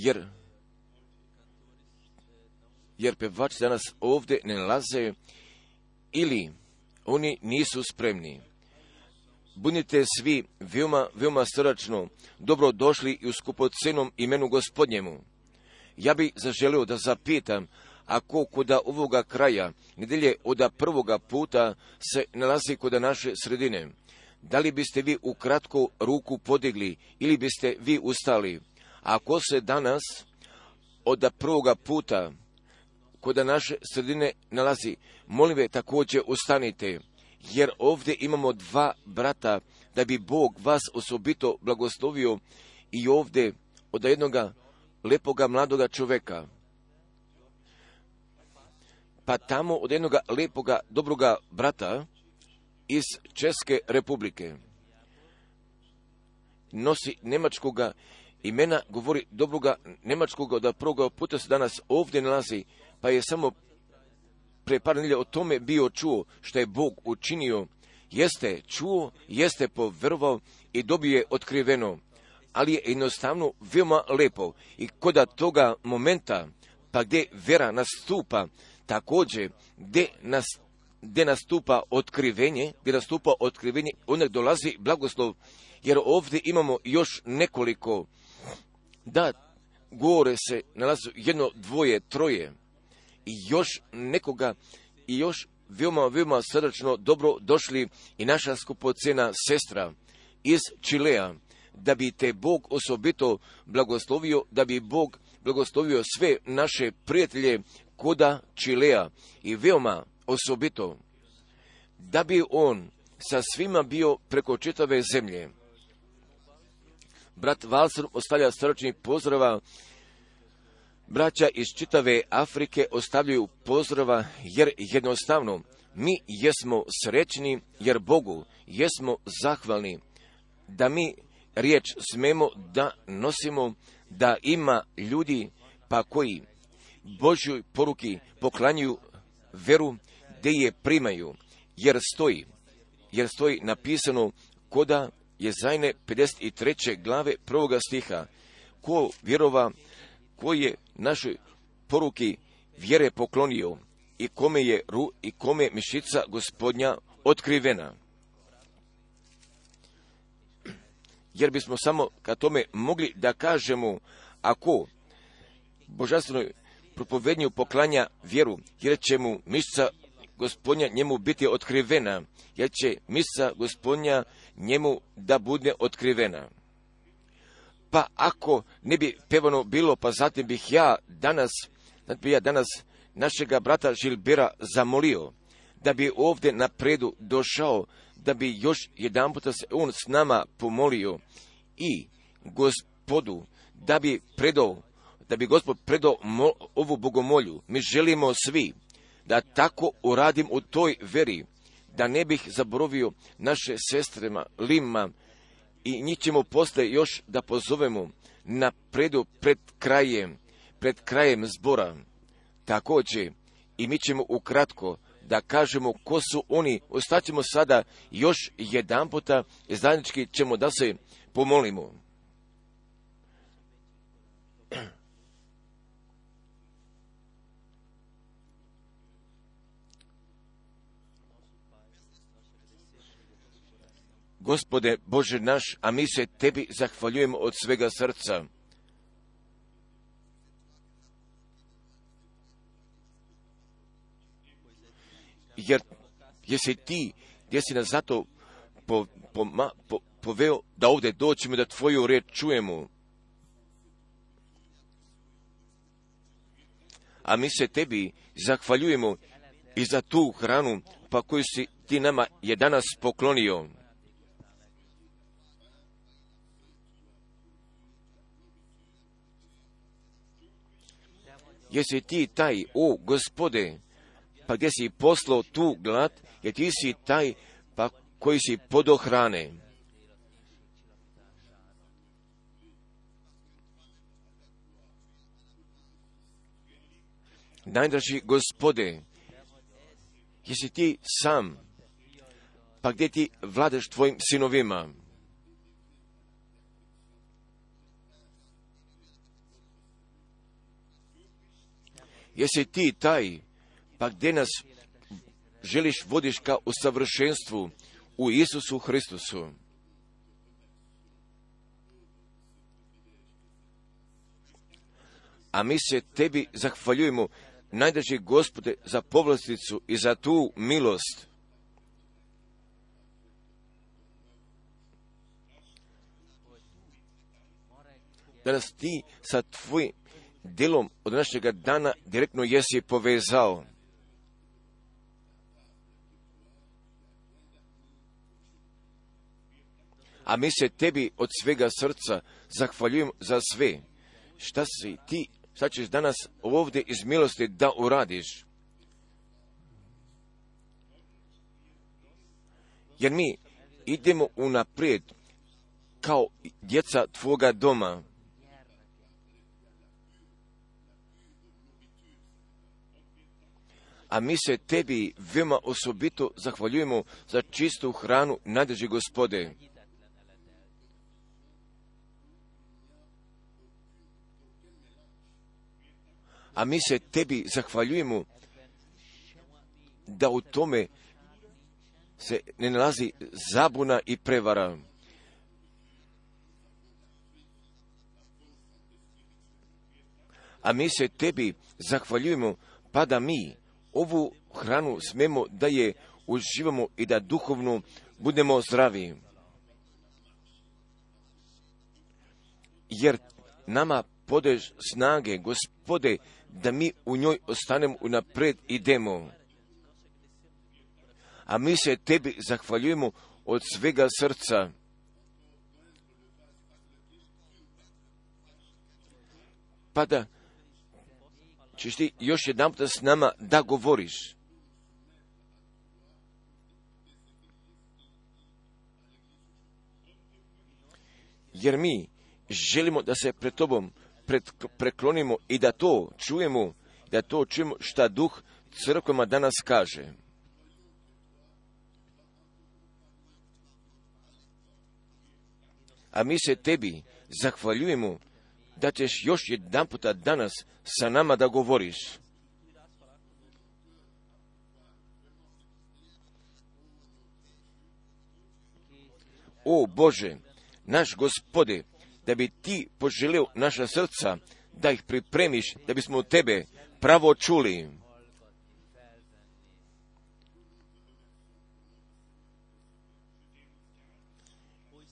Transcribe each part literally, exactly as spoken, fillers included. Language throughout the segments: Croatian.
jer, jer pevači danas ovdje ne nalaze ili oni nisu spremni. Budite svi veoma, veoma srdačno dobro došli i u skupocenom imenu Gospodnjemu. Ja bih zaželio da zapitam, ako koda ovoga kraja, nedelje od prvoga puta se nalazi kod naše sredine, da li biste vi ukratko ruku podigli ili biste vi ustali? Ako se danas od prvoga puta kod naše sredine nalazi, molim ve također ustanite, jer ovdje imamo dva brata, da bi Bog vas osobito blagoslovio i ovdje od jednoga lepoga mladoga čoveka, pa tamo od jednoga lepoga dobroga brata iz Česke republike. Nosi njemačkoga imena, govori dobroga njemačkoga, da prvoga puta se danas ovdje nalazi, pa je samo pre par nedelja o tome bio čuo što je Bog učinio. Jeste čuo, jeste poverovao i dobije otkriveno, ali je jednostavno veoma lepo. I koda toga momenta, pa gdje vera nastupa, također gdje, nas, gdje nastupa otkrivenje, gdje nastupa otkrivenje, onda dolazi blagoslov, jer ovdje imamo još nekoliko, da gore se nalazi jedno, dvoje, troje, i još nekoga, i još veoma, veoma srdačno dobro došli i naša skupocena sestra iz Čilea, da bi te Bog osobito blagoslovio, da bi Bog blagoslovio sve naše prijatelje koda Čilea i veoma osobito, da bi on sa svima bio preko čitave zemlje. Brat Valser ostavlja srdačnih pozdrava, braća iz čitave Afrike ostavljaju pozdrava, jer jednostavno mi jesmo srećni, jer Bogu jesmo zahvalni da mi riječ smemo da nosimo, da ima ljudi pa koji Božjoj poruki poklanjaju veru, gdje je primaju, jer stoji, jer stoji napisano koda Jezajne pedeset treće glave prvoga stiha, ko vjerova, ko je našoj poruki vjere poklonio i kome je ru i kome mišica Gospodnja otkrivena. Jer bismo samo ka tome mogli da kažemo, ako božanstvenoj propovednju poklanja vjeru, jer će mu mišica Gospodnja njemu biti otkrivena, jer će mišica Gospodnja njemu da bude otkrivena. Pa ako ne bi pevano bilo, pa zatim bih ja danas, da bi ja danas našega brata Žilbera zamolio, da bi ovdje napredu došao, da bi još jedan puta se on s nama pomolio i Gospodu, da bi predao, da bi Gospod predao mo, ovu bogomolju. Mi želimo svi da tako uradim u toj veri, da ne bih zaboravio naše sestrema Lima, i njih ćemo posle još da pozovemo na predu pred krajem, pred krajem zbora. Također, i mi ćemo ukratko da kažemo ko su oni. Ostaćemo sada još jedan puta i zajednički ćemo da se pomolimo. Gospode Bože naš, a mi se Tebi zahvaljujemo od svega srca. Jer jesi Ti, gdje si nas zato po, po, po, poveo da ovdje doćemo da Tvoju riječ čujemo. A mi se Tebi zahvaljujemo i za tu hranu pa koju si Ti nama je danas poklonio. Jesi Ti taj, o Gospode, pa gdje si poslao tu glad, jer Ti si taj pa koji si podohrane. Najdraži Gospode, jesi Ti sam, pa gdje Ti vladaš Tvojim sinovima. Jesi ti taj, pa gdje nas želiš vodiš ka u savršenstvu u Isusu Hristusu. A mi se tebi zahvaljujemo, najdraži Gospode, za povlasticu i za tu milost. Da nas ti sa tvojim djelom od našega dana direktno jesi povezao. A mi se tebi od svega srca zahvaljujemo za sve. Šta si ti, šta ćeš danas ovdje iz milosti da uradiš? Jer mi idemo unaprijed kao djeca tvoga doma. A mi se tebi veoma osobito zahvaljujemo za čistu hranu, najdraži Gospode. A mi se tebi zahvaljujemo da u tome se ne nalazi zabuna i prevara. A mi se tebi zahvaljujemo pa da mi ovu hranu smemo da je uživamo i da duhovno budemo zdravi. Jer nama podeš snage, Gospode, da mi u njoj ostanemo unaprijed idemo. A mi se tebi zahvaljujemo od svega srca. Pa da ćeš ti još jedan puta s nama da govoriš. Jer mi želimo da se pred tobom pred, preklonimo i da to čujemo, da to čujemo šta duh crkvama danas kaže. A mi se tebi zahvaljujemo da ćeš još jedan puta danas sa nama da govoriš. O Bože, naš Gospode, da bi ti poželio naša srca, da ih pripremiš, da bismo od tebe pravo čuli.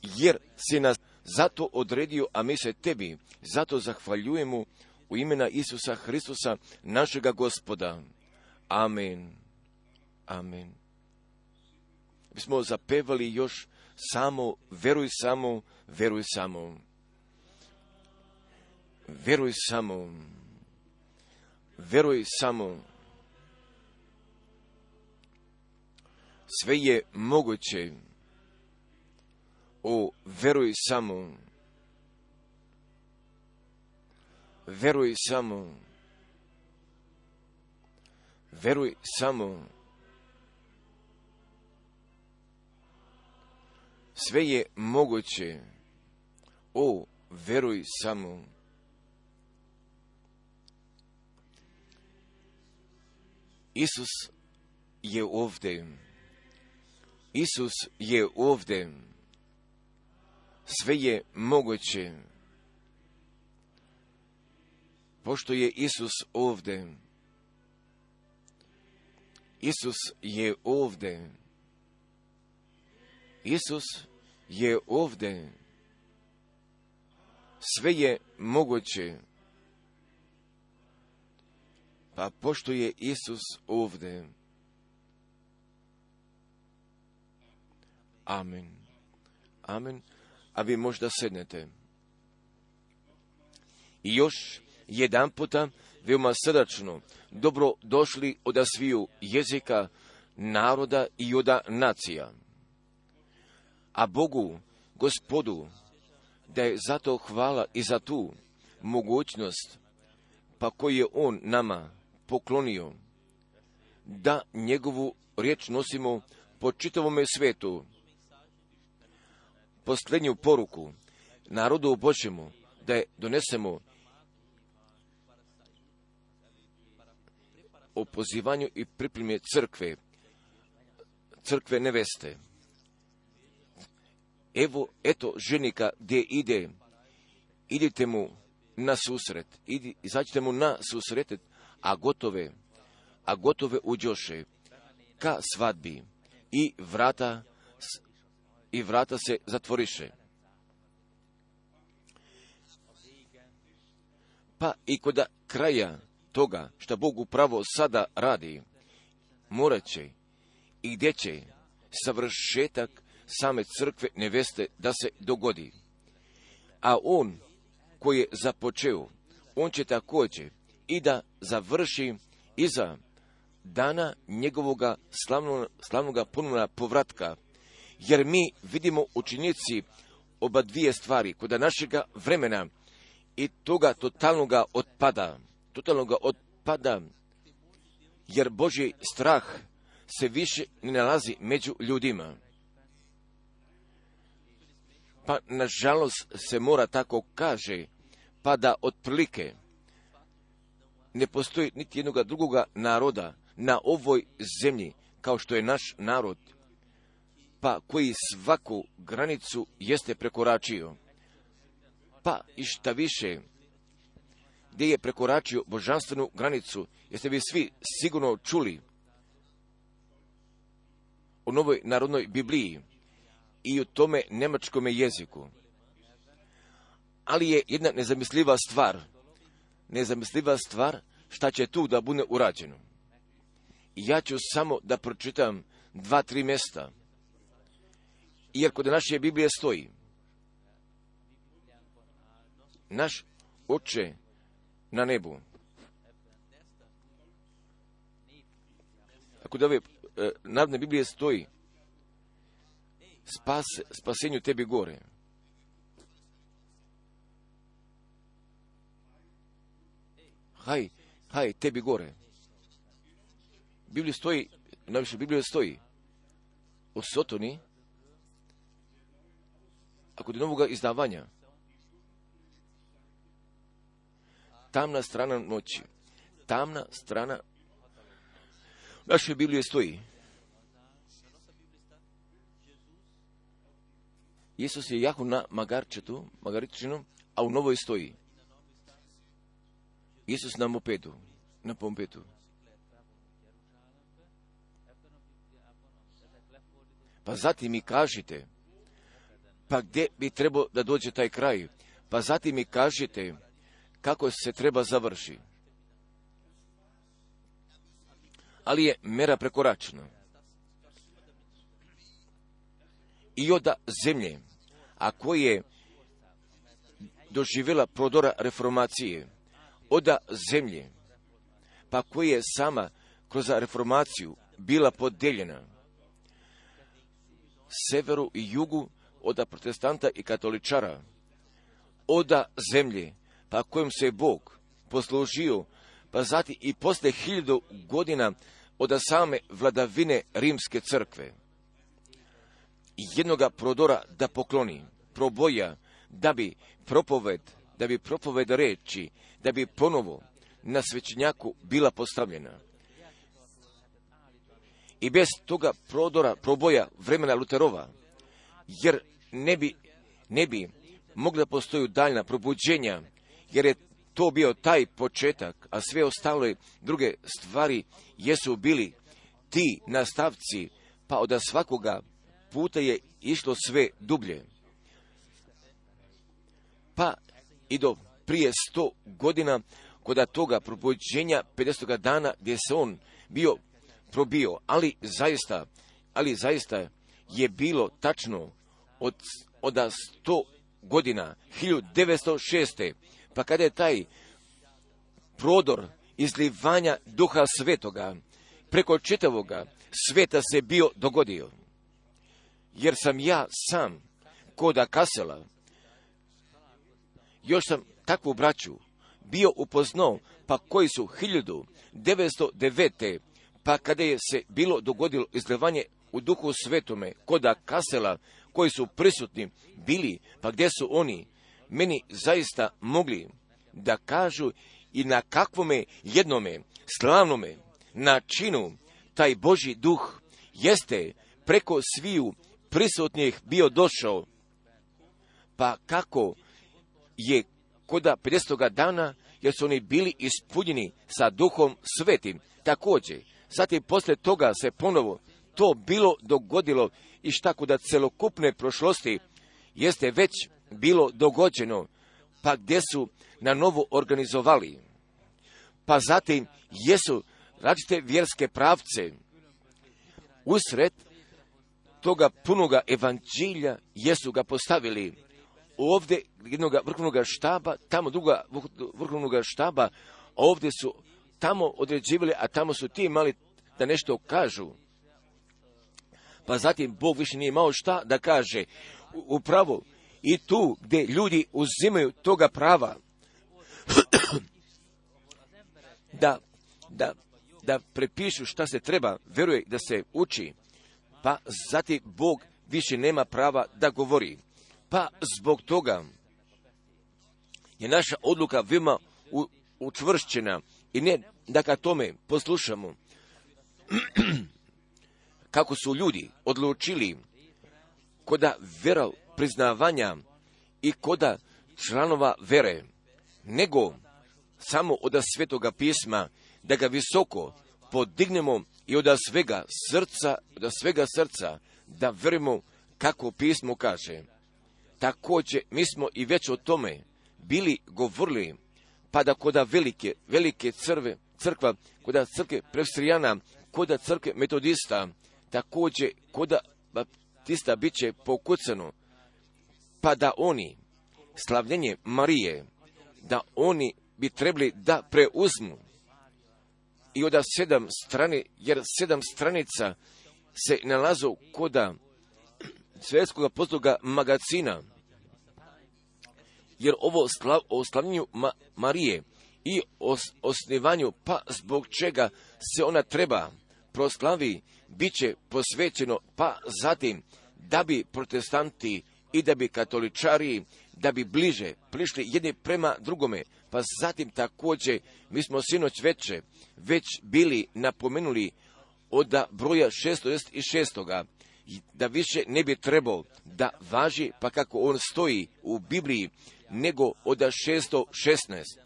Jer si nas zato odredio, a mi se tebi zato zahvaljujemo u imena Isusa Hristusa, našega Gospoda. Amen. Amen. Bismo zapevali još samo, veruj samo, veruj samo. Veruj samo. Veruj samo. Sve je moguće. O, veruj samo. Veruj samo. Veruj samo. Sve je moguće. O, veruj samo. Isus je ovdje. Isus je ovdje. Sve je moguće. Pošto je Isus ovdje. Isus je ovdje. Isus je ovdje. Sve je moguće. Pa pošto je Isus ovdje. Amen. Amen. A vi možda sednete. I još jedan puta veoma srdačno dobro došli od sviju jezika, naroda i od nacija. A Bogu, Gospodu, da je zato hvala i za tu mogućnost, pa koju je On nama poklonio, da njegovu riječ nosimo po čitavome svetu. Posljednju poruku narodu Božjemu da je donesemo o pozivanju i pripremi crkve, crkve neveste. Evo, eto ženika gdje ide, idite mu na susret, idi, izađite mu na susret, a gotove, a gotove uđoše ka svadbi i vrata, i vrata se zatvoriše. Pa i kod kraja toga što Bog upravo sada radi, morat će i gdje će savršetak same crkve neveste da se dogodi. A on koji je započeo, on će također i da završi iza dana njegovoga slavnog, slavnoga ponovna povratka. Jer mi vidimo u činjenici oba dvije stvari kod našega vremena i toga totalnoga otpada. Totalnoga otpada, jer Božji strah se više ne nalazi među ljudima. Pa nažalost se mora tako kaže, pa da otprilike ne postoji niti jednoga drugoga naroda na ovoj zemlji kao što je naš narod, pa koji svaku granicu jeste prekoračio. Pa i šta više, gdje je prekoračio božanstvenu granicu, jeste vi svi sigurno čuli o novoj narodnoj Bibliji i o tome njemačkome jeziku. Ali je jedna nezamisliva stvar, nezamisliva stvar šta će tu da bude urađeno. I ja ću samo da pročitam dva, tri mjesta, jer kod naše Biblije stoji: naš Oče na nebu. Ako da ove e, narodne Biblije stoji: Spas, spasenju tebi gore. Haj, haj, tebi gore. Bibliji stoji, najviše Biblije stoji o Sotoni, a kod novoga izdavanja tamna strana noći, tamna strana naše Biblije stoji: Isus je jahu na magarčetu, magaričinu, a u novoj stoji Isus na mopedu, na pompetu. Pa zatim mi kažite, pa gdje bi trebao da dođe taj kraj? Pa zatim mi kažite kako se treba završi. Ali je mera prekoračena. I od zemlje, a koje je doživjela prodora reformacije, od zemlje, pa koja je sama kroz reformaciju bila podeljena severu i jugu, od protestanta i katoličara, od zemlje, pa kojom se Bog poslužio, pa zatim i posle hiljadu godina od same vladavine Rimske crkve, jednoga prodora da pokloni, proboja, da bi propoved, da bi propoved reči, da bi ponovo na svećenjaku bila postavljena. I bez toga prodora, proboja vremena Luterova, jer ne bi, ne bi mogla postoji daljna probuđenja, jer je to bio taj početak, a sve ostale druge stvari jesu bili ti nastavci, pa od svakoga puta je išlo sve dublje. Pa i do prije sto godina, kod toga probuđenja pedesetog dana, gdje se on bio probio, ali zaista, ali zaista je bilo tačno od, od sto godina, hiljadu devetsto šeste. Pa kada je taj prodor izlivanja Duha Svetoga preko čitavoga sveta se bio dogodio. Jer sam ja sam koda Kasela, još sam takvu braću bio upoznao, pa koji su hiljadu devetsto devete. Pa kada je se bilo dogodilo izlivanje u Duhu Svetome koda Kasela, koji su prisutni bili, pa gdje su oni meni zaista mogli da kažu i na kakvome jednome slavnome na činu, taj Božji duh jeste preko sviju prisutnih bio došao. Pa kako je koda pedesetoga dana, jer su oni bili ispunjeni sa duhom svetim. Također, zatim poslije toga se ponovo to bilo dogodilo i šta kuda celokupne prošlosti jeste već bilo dogođeno, pa gdje su na novo organizovali. Pa zatim jesu različite vjerske pravce usred toga punoga evanđelja jesu ga postavili. Ovdje jednog vrhovnog štaba, tamo druga vrhovnog štaba, ovdje su tamo određivali, a tamo su ti imali da nešto kažu. Pa zatim Bog više nije imao šta da kaže. Upravo i tu gdje ljudi uzimaju toga prava da, da, da prepišu šta se treba, vjeruje da se uči, pa zatim Bog više nema prava da govori. Pa zbog toga je naša odluka veoma učvršćena i ne da ka tome poslušamo kako su ljudi odlučili koda vera priznavanja i koda članova vere, nego samo od Svetoga pisma da ga visoko podignemo i od svega srca, od svega srca da verujemo kako pismo kaže. Također mi smo i već o tome bili govorili, pa da koda velike, velike crve, crkva, koda crkve presbiterijana, koda crkve metodista, također koda baptista bit će pokucano, pa da oni, slavljenje Marije, da oni bi trebali da preuzmu i od sedam strane, jer sedam stranica se nalazu koda svjetskog postupka magazina, jer ovo slav, o slavljenju Ma, Marije i o osnivanju, pa zbog čega se ona treba proslavi, bit će posvećeno, pa zatim da bi protestanti i da bi katoličari, da bi bliže prišli jedni prema drugome, pa zatim također mi smo sinoć veče već bili napomenuli od broja šesto šest, da više ne bi trebao da važi, pa kako on stoji u Bibliji, nego od šesto šesnaest.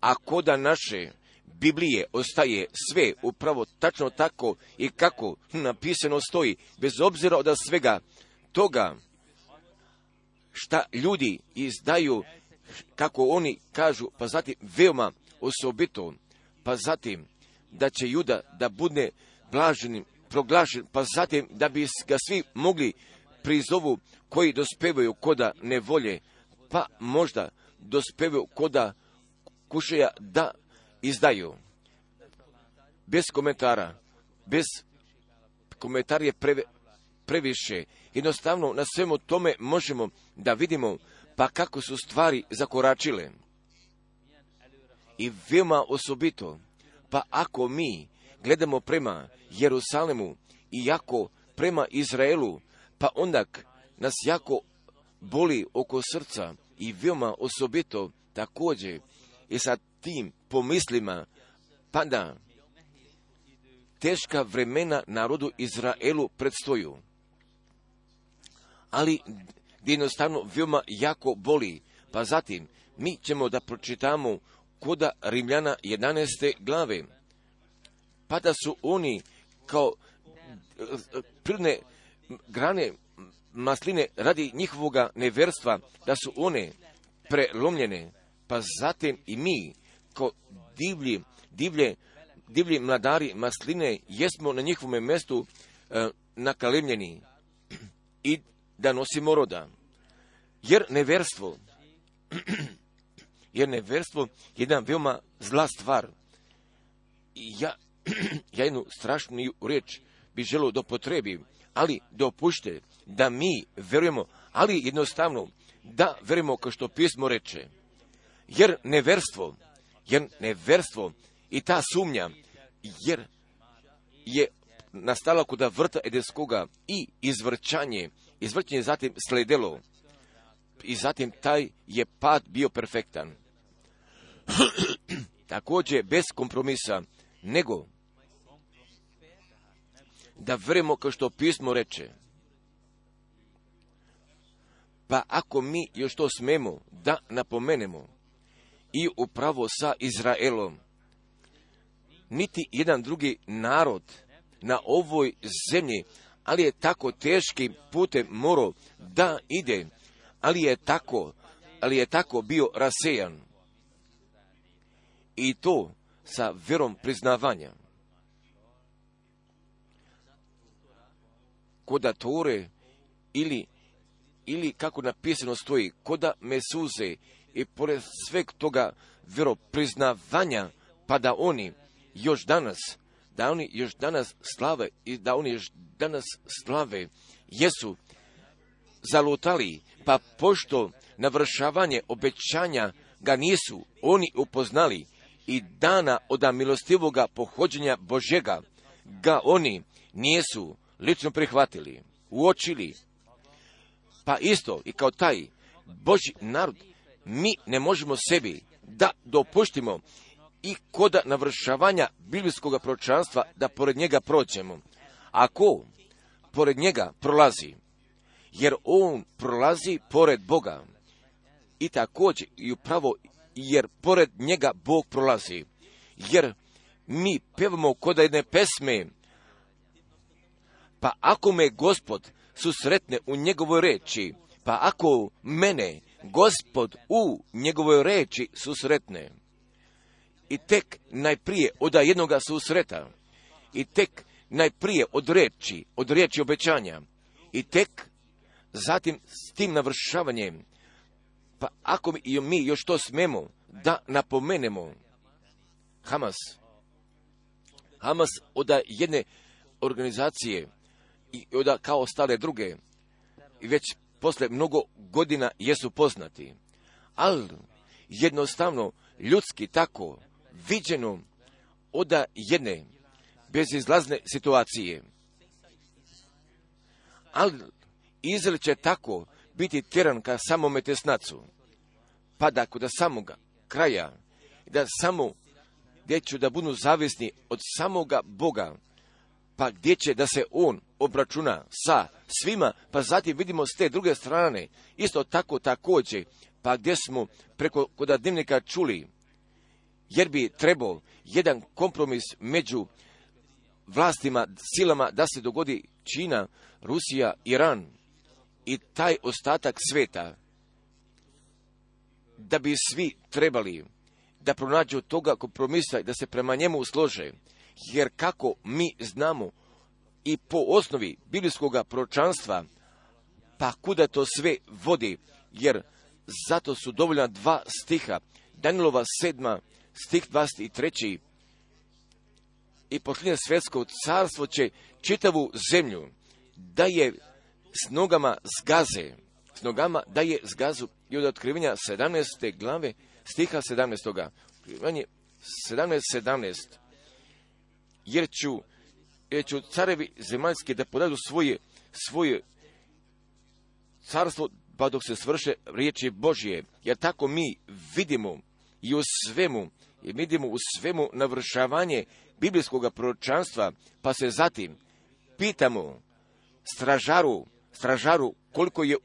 A koda naše Biblije ostaje sve upravo tačno tako i kako napisano stoji, bez obzira od svega toga šta ljudi izdaju, kako oni kažu, pa zatim veoma osobito, pa zatim da će Juda da bude blaženim proglašen, pa zatim da bi ga svi mogli prizovu koji dospevaju koda nevolje, pa možda dospevaju koda kušaja da izdaju. Bez komentara, bez komentar je preve, previše. Jednostavno na svemu tome možemo da vidimo pa kako su stvari zakoračile. I veoma osobito, pa ako mi gledamo prema Jerusalemu i jako prema Izraelu, pa onda nas jako boli oko srca i veoma osobito također i sa tim pomislima pada teška vremena narodu Izraelu predstoju. Ali jednostavno veoma jako boli. Pa zatim mi ćemo da pročitamo koda Rimljana jedanaeste glave. Pa da su oni kao prirodne grane masline radi njihovoga neverstva, da su one prelomljene. Pa zatim i mi kao divlji, divlje, divlji mladari masline jesmo na njihovom mjestu e, nakalemljeni i da nosimo roda. Jer neverstvo, jer neverstvo je jedna veoma zla stvar. I ja, ja jednu strašnu riječ bi želio da upotrebim, ali dopušte da mi verujemo, ali jednostavno da verujemo kao što pismo reče. Jer neverstvo, jer neverstvo i ta sumnja, jer je nastala kod vrta Edenskoga i izvrćanje, izvrćanje zatim sledelo i zatim taj je pad bio perfektan. Također bez kompromisa nego da verujemo kao što pismo reče. Pa ako mi još to smemo da napomenemo i upravo sa Izraelom, niti jedan drugi narod na ovoj zemlji, ali je tako teškim putem morao da ide, ali je tako, ali je tako bio rasejan. I to sa vjerom priznavanja. Koda Tore ili, ili kako napisano stoji, koda Mesuze i pored sveg toga vjeropriznavanja, pa da oni još danas, da oni još danas slave i da oni još danas slave, jesu zalutali, pa pošto navršavanje obećanja ga nisu oni upoznali i dana od milostivoga pohođenja Božjega ga oni nisu lično prihvatili, uočili. Pa isto i kao taj Božji narod, mi ne možemo sebi da dopuštimo i koda navršavanja biblijskog proročanstva da pored njega prođemo. Ako pored njega prolazi, jer on prolazi pored Boga, i također i upravo jer pored njega Bog prolazi, jer mi pevamo koda jedne pesme, pa ako me Gospod susretne u njegovoj reči, pa ako mene Gospod u njegovoj reči susretne, i tek najprije od jednoga susreta, i tek najprije od reči, od riječi obećanja, i tek zatim s tim navršavanjem, pa ako mi, mi još to smemo da napomenemo, Hamas, Hamas od jedne organizacije i od kao ostale druge, i već posle mnogo godina jesu poznati, ali jednostavno ljudski tako viđeno od jedne bezizlazne situacije. Ali Izrael će tako biti tjeran ka samome tesnacu, pa da kod samoga kraja, da samo gdje će da budu zavisni od samoga Boga, pa gdje će da se on obračuna sa svima, pa zatim vidimo s te druge strane, isto tako također, pa gdje smo preko kod dnevnika čuli, jer bi trebao jedan kompromis među vlastima, silama da se dogodi Kina, Rusija, Iran i taj ostatak sveta, da bi svi trebali da pronađu toga kompromisa i da se prema njemu slože, jer kako mi znamo i po osnovi biblijskog proročanstva, pa kuda to sve vodi, jer zato su dovoljna dva stiha, Danielova sedma, stih dvadeset tri. I posljednje svjetsko carstvo će čitavu zemlju da je s nogama zgaze, s nogama da je zgazu, i od otkrivanja sedamnaeste glave, stiha sedamnaestog. Otkrivanje sedamnaest sedamnaest. Jer ću, jer ću carevi zemaljski da podaju svoje, svoje carstvo, pa dok se svrše riječi Božje. Jer tako mi vidimo i u svemu, i vidimo u svemu navršavanje biblijskog proročanstva, pa se zatim pitamo stražaru, stražaru koliko je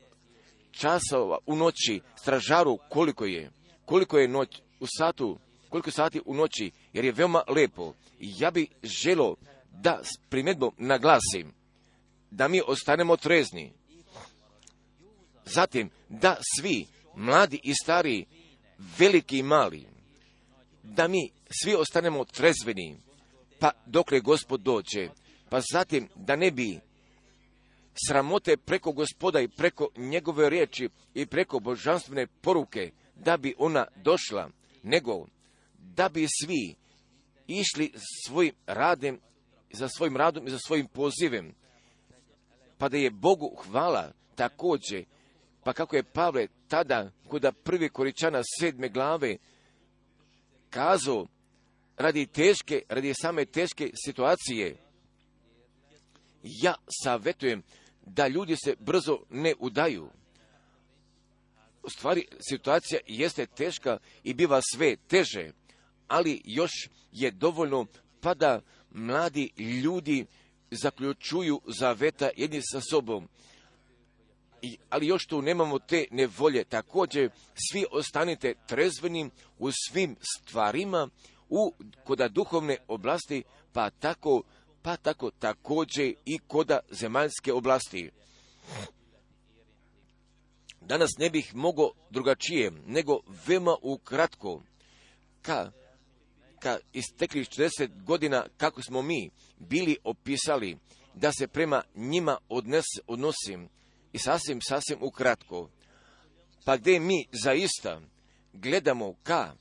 časova u noći, stražaru koliko je, koliko je noć u satu, koliko sati u noći, jer je veoma lepo. I ja bih želio da s primjedbom naglasim da mi ostanemo trezni. Zatim da svi, mladi i stari, veliki i mali, da mi svi ostanemo trezveni, pa dokle Gospod dođe, pa zatim da ne bi sramote preko Gospoda i preko njegove riječi i preko božanstvene poruke, da bi ona došla, nego da bi svi išli svojim radem, za svojim radom i za svojim pozivem, pa da je Bogu hvala također, pa kako je Pavle tada kod prvi Koričana sedme glave kazao, radi teške, radi same teške situacije, ja savjetujem da ljudi se brzo ne udaju. U stvari, situacija jeste teška i biva sve teže, ali još je dovoljno pa da mladi ljudi zaključuju zaveta jedni sa sobom. I, ali još tu nemamo te nevolje. Također, svi ostanite trezveni u svim stvarima, u koda duhovne oblasti, pa tako, pa tako također i koda zemaljske oblasti. Danas ne bih mogao drugačije, nego veoma ukratko, ka, ka istekli četrdeset godina kako smo mi bili opisali, da se prema njima odnes, odnosim, i sasvim, sasvim ukratko. Pa gdje mi zaista gledamo ka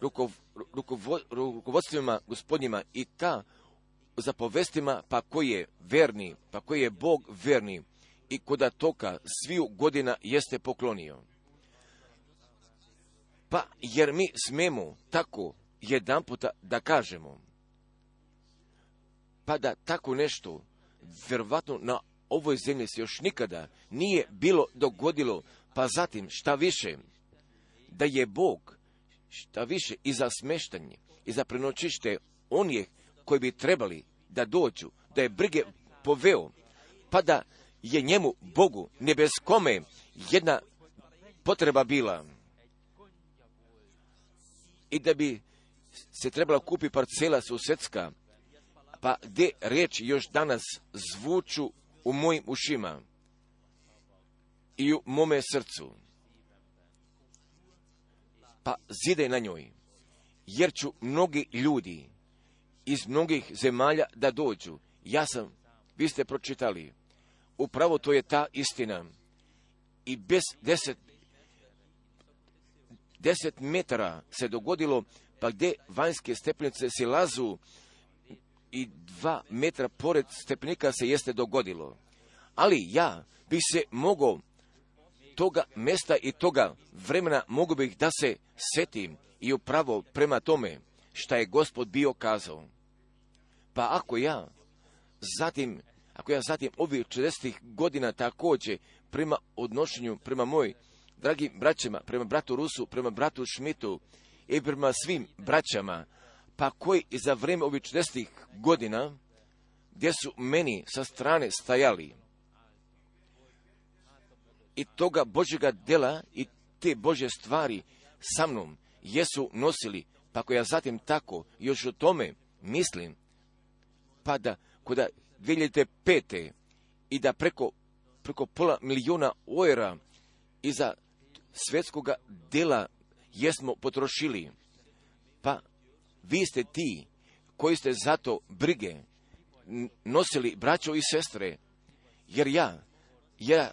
rukov, rukovo, rukovodstvima gospodnjima i ka zapovestima, pa koji je verni, pa koji je Bog verni, i koda toka sviju godina jeste poklonio. Pa jer mi smemo tako jedan puta da kažemo, pa da tako nešto vjerovatno na ovoj zemlji se još nikada nije bilo dogodilo, pa zatim šta više, da je Bog šta više i za smeštanje i za prenoćište onih koji bi trebali da dođu, da je brige poveo, pa da je njemu, Bogu, nebeskome, jedna potreba bila. I da bi se trebala kupi parcela susjedska, pa gdje riječi još danas zvuču u mojim ušima i u mome srcu. Pa zidaj na njoj, jer ću mnogi ljudi iz mnogih zemalja da dođu. Ja sam, vi ste pročitali, upravo to je ta istina. I bez deset, deset metara se dogodilo, pa gdje vanjske stepenice se lazu i dva metra pored stepenika se jeste dogodilo. Ali ja bi se mogao toga mesta i toga vremena, mogu bih da se setim i upravo prema tome šta je Gospod bio kazao. Pa ako ja zatim, ako ja zatim ovih četrdeset godina također prema odnošenju, prema moj dragim braćama, prema bratu Rusu, prema bratu Šmitu i prema svim braćama, pa koji i za vrijeme ovih četrdeset godina, gdje su meni sa strane stajali i toga Božjega dela i te Božje stvari sa mnom jesu nosili, pa ako ja zatim tako još o tome mislim, pa da koda dvije hiljade pete i da preko, preko pola milijuna eura iza svjetskoga dela jesmo potrošili, pa vi ste ti koji ste zato brige nosili, braćo i sestre, jer ja, ja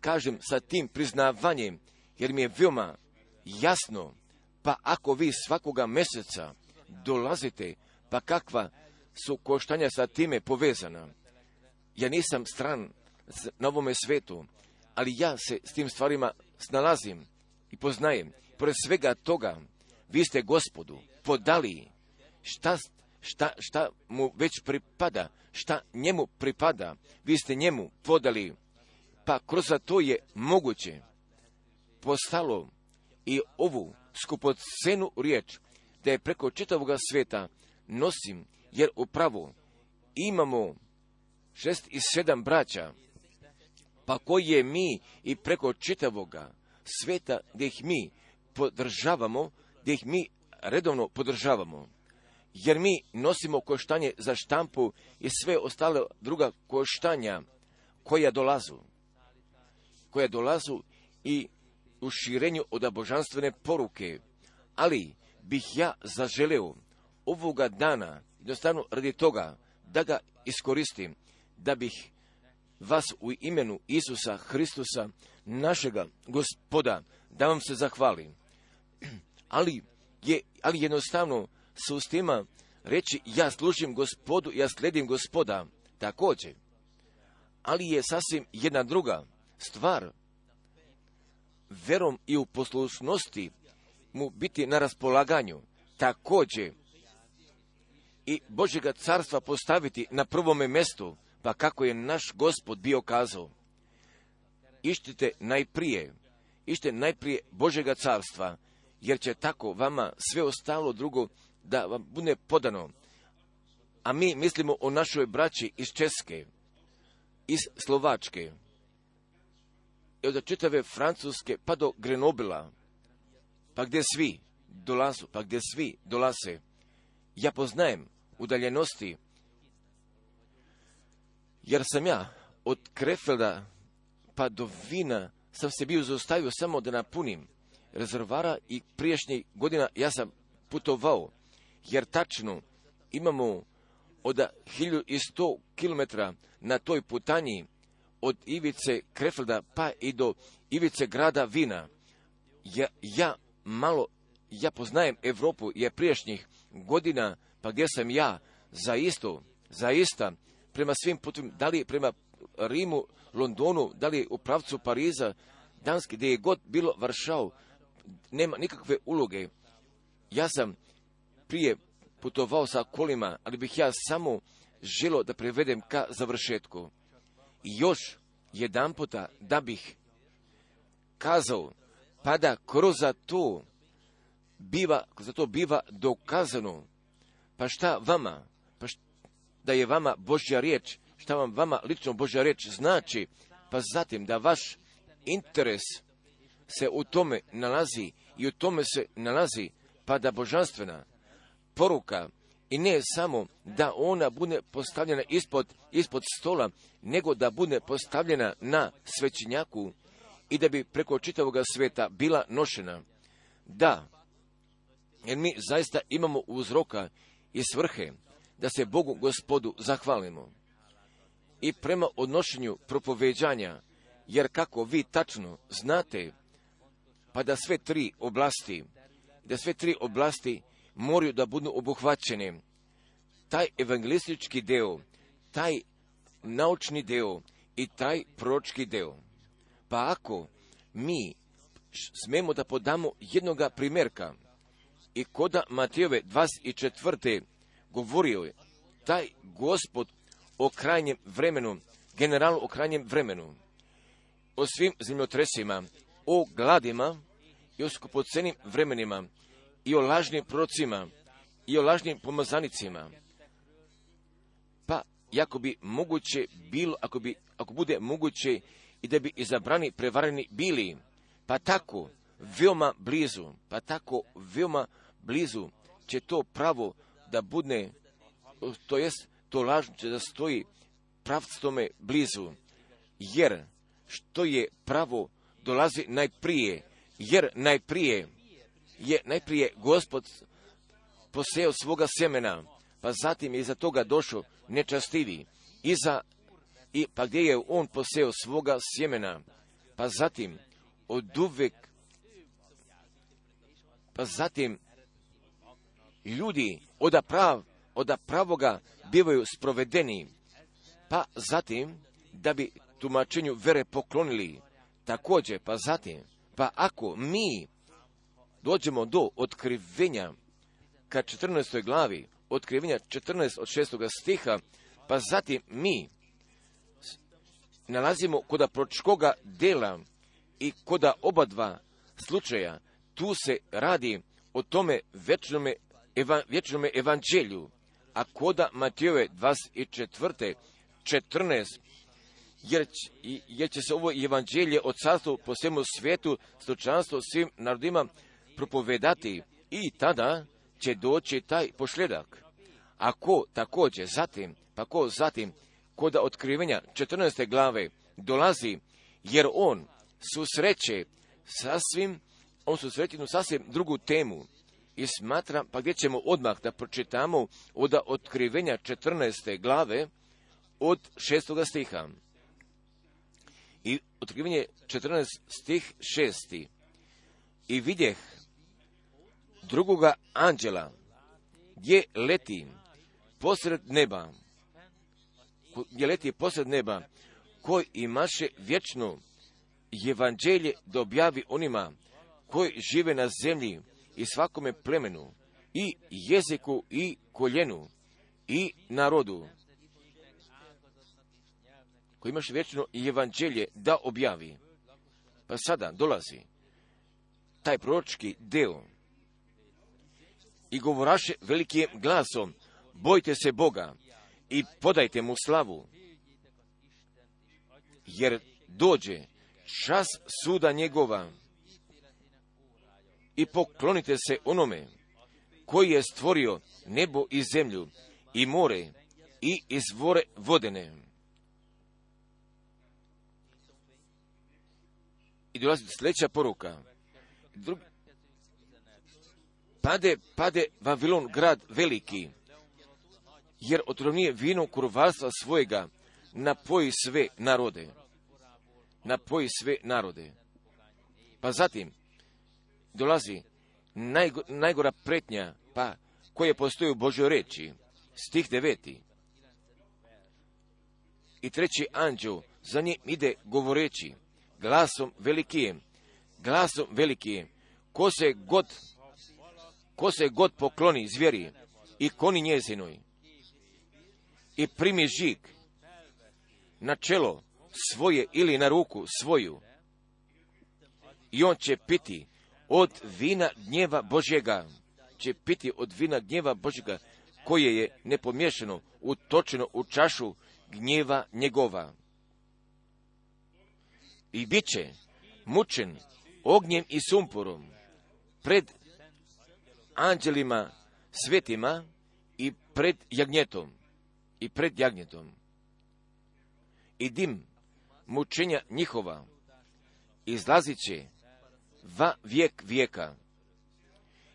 kažem sa tim priznavanjem, jer mi je veoma jasno, pa ako vi svakoga mjeseca dolazite, pa kakva su koštanja sa time povezana. Ja nisam stran na ovome svetu, ali ja se s tim stvarima snalazim i poznajem. Pored svega toga, vi ste Gospodu podali šta, šta, šta mu već pripada, šta njemu pripada, vi ste njemu podali, pa kroz to je moguće postalo i ovu skupocenu riječ, da je preko čitavoga sveta nosim, jer upravo imamo šest i sedam braća, pa koji je mi i preko čitavoga sveta gdje ih mi podržavamo, gdje ih mi redovno podržavamo, jer mi nosimo koštanje za štampu i sve ostale druga koštanja koja dolazu, koja dolazu i u širenju od božanstvene poruke. Ali bih ja zaželeo ovoga dana, jednostavno radi toga, da ga iskoristim, da bih vas u imenu Isusa Hristusa, našega Gospoda, da vam se zahvalim. Ali, je, ali jednostavno s ustima reći ja služim Gospodu, ja slijedim Gospoda, također. Ali je sasvim jedna druga stvar, verom i u poslušnosti mu biti na raspolaganju, također i Božjega carstva postaviti na prvome mjestu, pa kako je naš Gospod bio kazao. Ištite najprije, ište najprije Božjega carstva, jer će tako vama sve ostalo drugo da vam bude podano. a mi mislimo o našoj braći iz Česke, iz Slovačke, i od čitave Francuske pa do Grenobila, pa gdje svi dolazu, pa gdje svi dolaze. Ja poznajem udaljenosti, jer sam ja od Krefelda pa do Vina sam se bio zaustavio samo da napunim rezervara i prijašnjih godina ja sam putovao, jer tačno imamo od hiljadu sto kilometara na toj putanji od ivice Krefelda pa i do ivice grada Vina. Ja, ja malo, ja poznajem Europu je prijašnjih godina, pa gdje sam ja zaisto, zaista prema svim putovima, da li prema Rimu, Londonu, da li u pravcu Pariza, Danski, gdje je god bilo Varšav, nema nikakve uloge. Ja sam prije putovao sa kolima, ali bih ja samo želio da prevedem ka završetku. I još jedan puta da bih kazao, pa da kroz to biva, za to biva dokazano, pa šta vama, pa šta, da je vama Božja riječ, šta vam vama lično Božja riječ znači, pa zatim da vaš interes se u tome nalazi i u tome se nalazi, pa da božanstvena poruka i ne samo da ona bude postavljena ispod, ispod stola, nego da bude postavljena na svećenjaku i da bi preko čitavog sveta bila nošena. Da, jer mi zaista imamo uzroka i svrhe da se Bogu Gospodu zahvalimo. I prema odnošenju propoveđanja, jer kako vi tačno znate, pa da sve tri oblasti, da sve tri oblasti moraju da budu obuhvaćene. Taj evangelistički deo, taj naučni deo i taj proročki deo. Pa ako mi smemo da podamo jednoga primjerka, i koda Matejove dvadeset četvrte govorio je taj Gospod o krajnjem vremenu, generalno o krajnjem vremenu, o svim zemljotresima, o gladima i o skupocenim vremenima, i o lažnim prorocima, i o lažnim pomazanicima. Pa, ako bi moguće bilo, ako, bi, ako bude moguće i da bi izabrani prevareni bili, pa tako veoma blizu, pa tako veoma blizu će to pravo da bude, to jest to lažno će da stoji pravctome blizu, jer što je pravo dolazi najprije, jer najprije je najprije Gospod poseo svoga semena, pa zatim je iza toga došao nečastivi, iza, i, pa gdje je on poseo svoga sjemena, pa zatim oduvek, pa zatim ljudi oda, prav, oda pravoga bivaju sprovedeni, pa zatim da bi tumačenju vere poklonili, također, pa zatim, pa ako mi dođemo do otkrivenja ka četrnaestoj glavi, otkrivenja četrnaest od šestoga stiha, pa zatim mi nalazimo koda proročkoga dela i koda oba dva slučaja, tu se radi o tome vječnome, eva, vječnome evanđelju, a koda Matejove dvadeset četvrte četrnaest, jer, jer će se ovo evanđelje od carstva po svemu svijetu, stočanstvo svim narodima propovedati i tada će doći taj pošljedak. Ako također zatim, pa ko zatim, koda otkrivenja četrnaeste glave dolazi, jer on susreće sasvim, on susreće jednu sasvim drugu temu i smatra, pa gdje ćemo odmah da pročitamo od otkrivenja četrnaeste glave od šestoga stiha. I otkrivenje četrnaest stih šesti. I vidjeh drugoga anđela gdje leti posred neba, gdje leti posred neba, koji imaše vječno evanđelje da objavi onima koji žive na zemlji i svakome plemenu i jeziku i koljenu i narodu, koji imaše vječno evanđelje da objavi. Pa sada dolazi taj proročki deo i govoraše velikim glasom, bojte se Boga i podajte mu slavu, jer dođe čas suda njegova i poklonite se onome koji je stvorio nebo i zemlju i more i izvore vodene. I dolazi sljedeća poruka. Drugi, pade, pade Vavilon, grad veliki, jer otrovnije vino kurvarstva svojega napoji sve narode. Napoji sve narode. Pa zatim dolazi najgo, najgora pretnja, pa koja postoji u Božoj reči, stih deveti. I treći anđeo za njim ide govoreći glasom velikijem, glasom velikijem, ko se god, ko se god pokloni zvijeri i koni njezinoj i primi žig na čelo svoje ili na ruku svoju, i on će piti od vina gnjeva Božjega, će piti od vina gnjeva Božjega, koje je nepomiješano utočeno u čašu gnjeva njegova. I bit će mučen ognjem i sumporom pred anđelima svetima i pred jagnjetom. I pred jagnjetom. I dim mučenja njihova izlazit će va vijek vijeka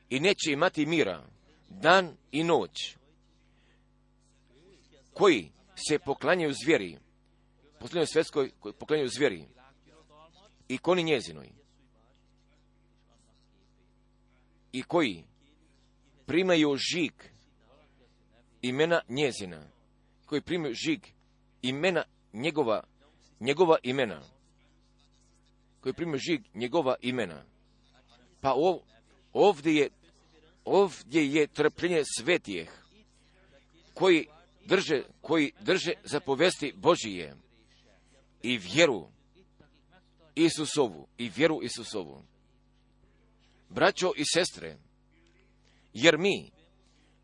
i neće imati mira dan i noć, koji se poklanjaju zvijeri, posljednjoj svjetskoj koji poklanjaju zvijeri i koni njezinoj, i koji primaju žig imena njezina, koji primaju žig imena njegova, njegova imena, koji primaju žig njegova imena. Pa ov, ovdje je, ovdje je trpljenje svetijeh, koji drže, koji drže zapovesti Božije i vjeru Isusovu, i vjeru Isusovu. Braćo i sestre, jer mi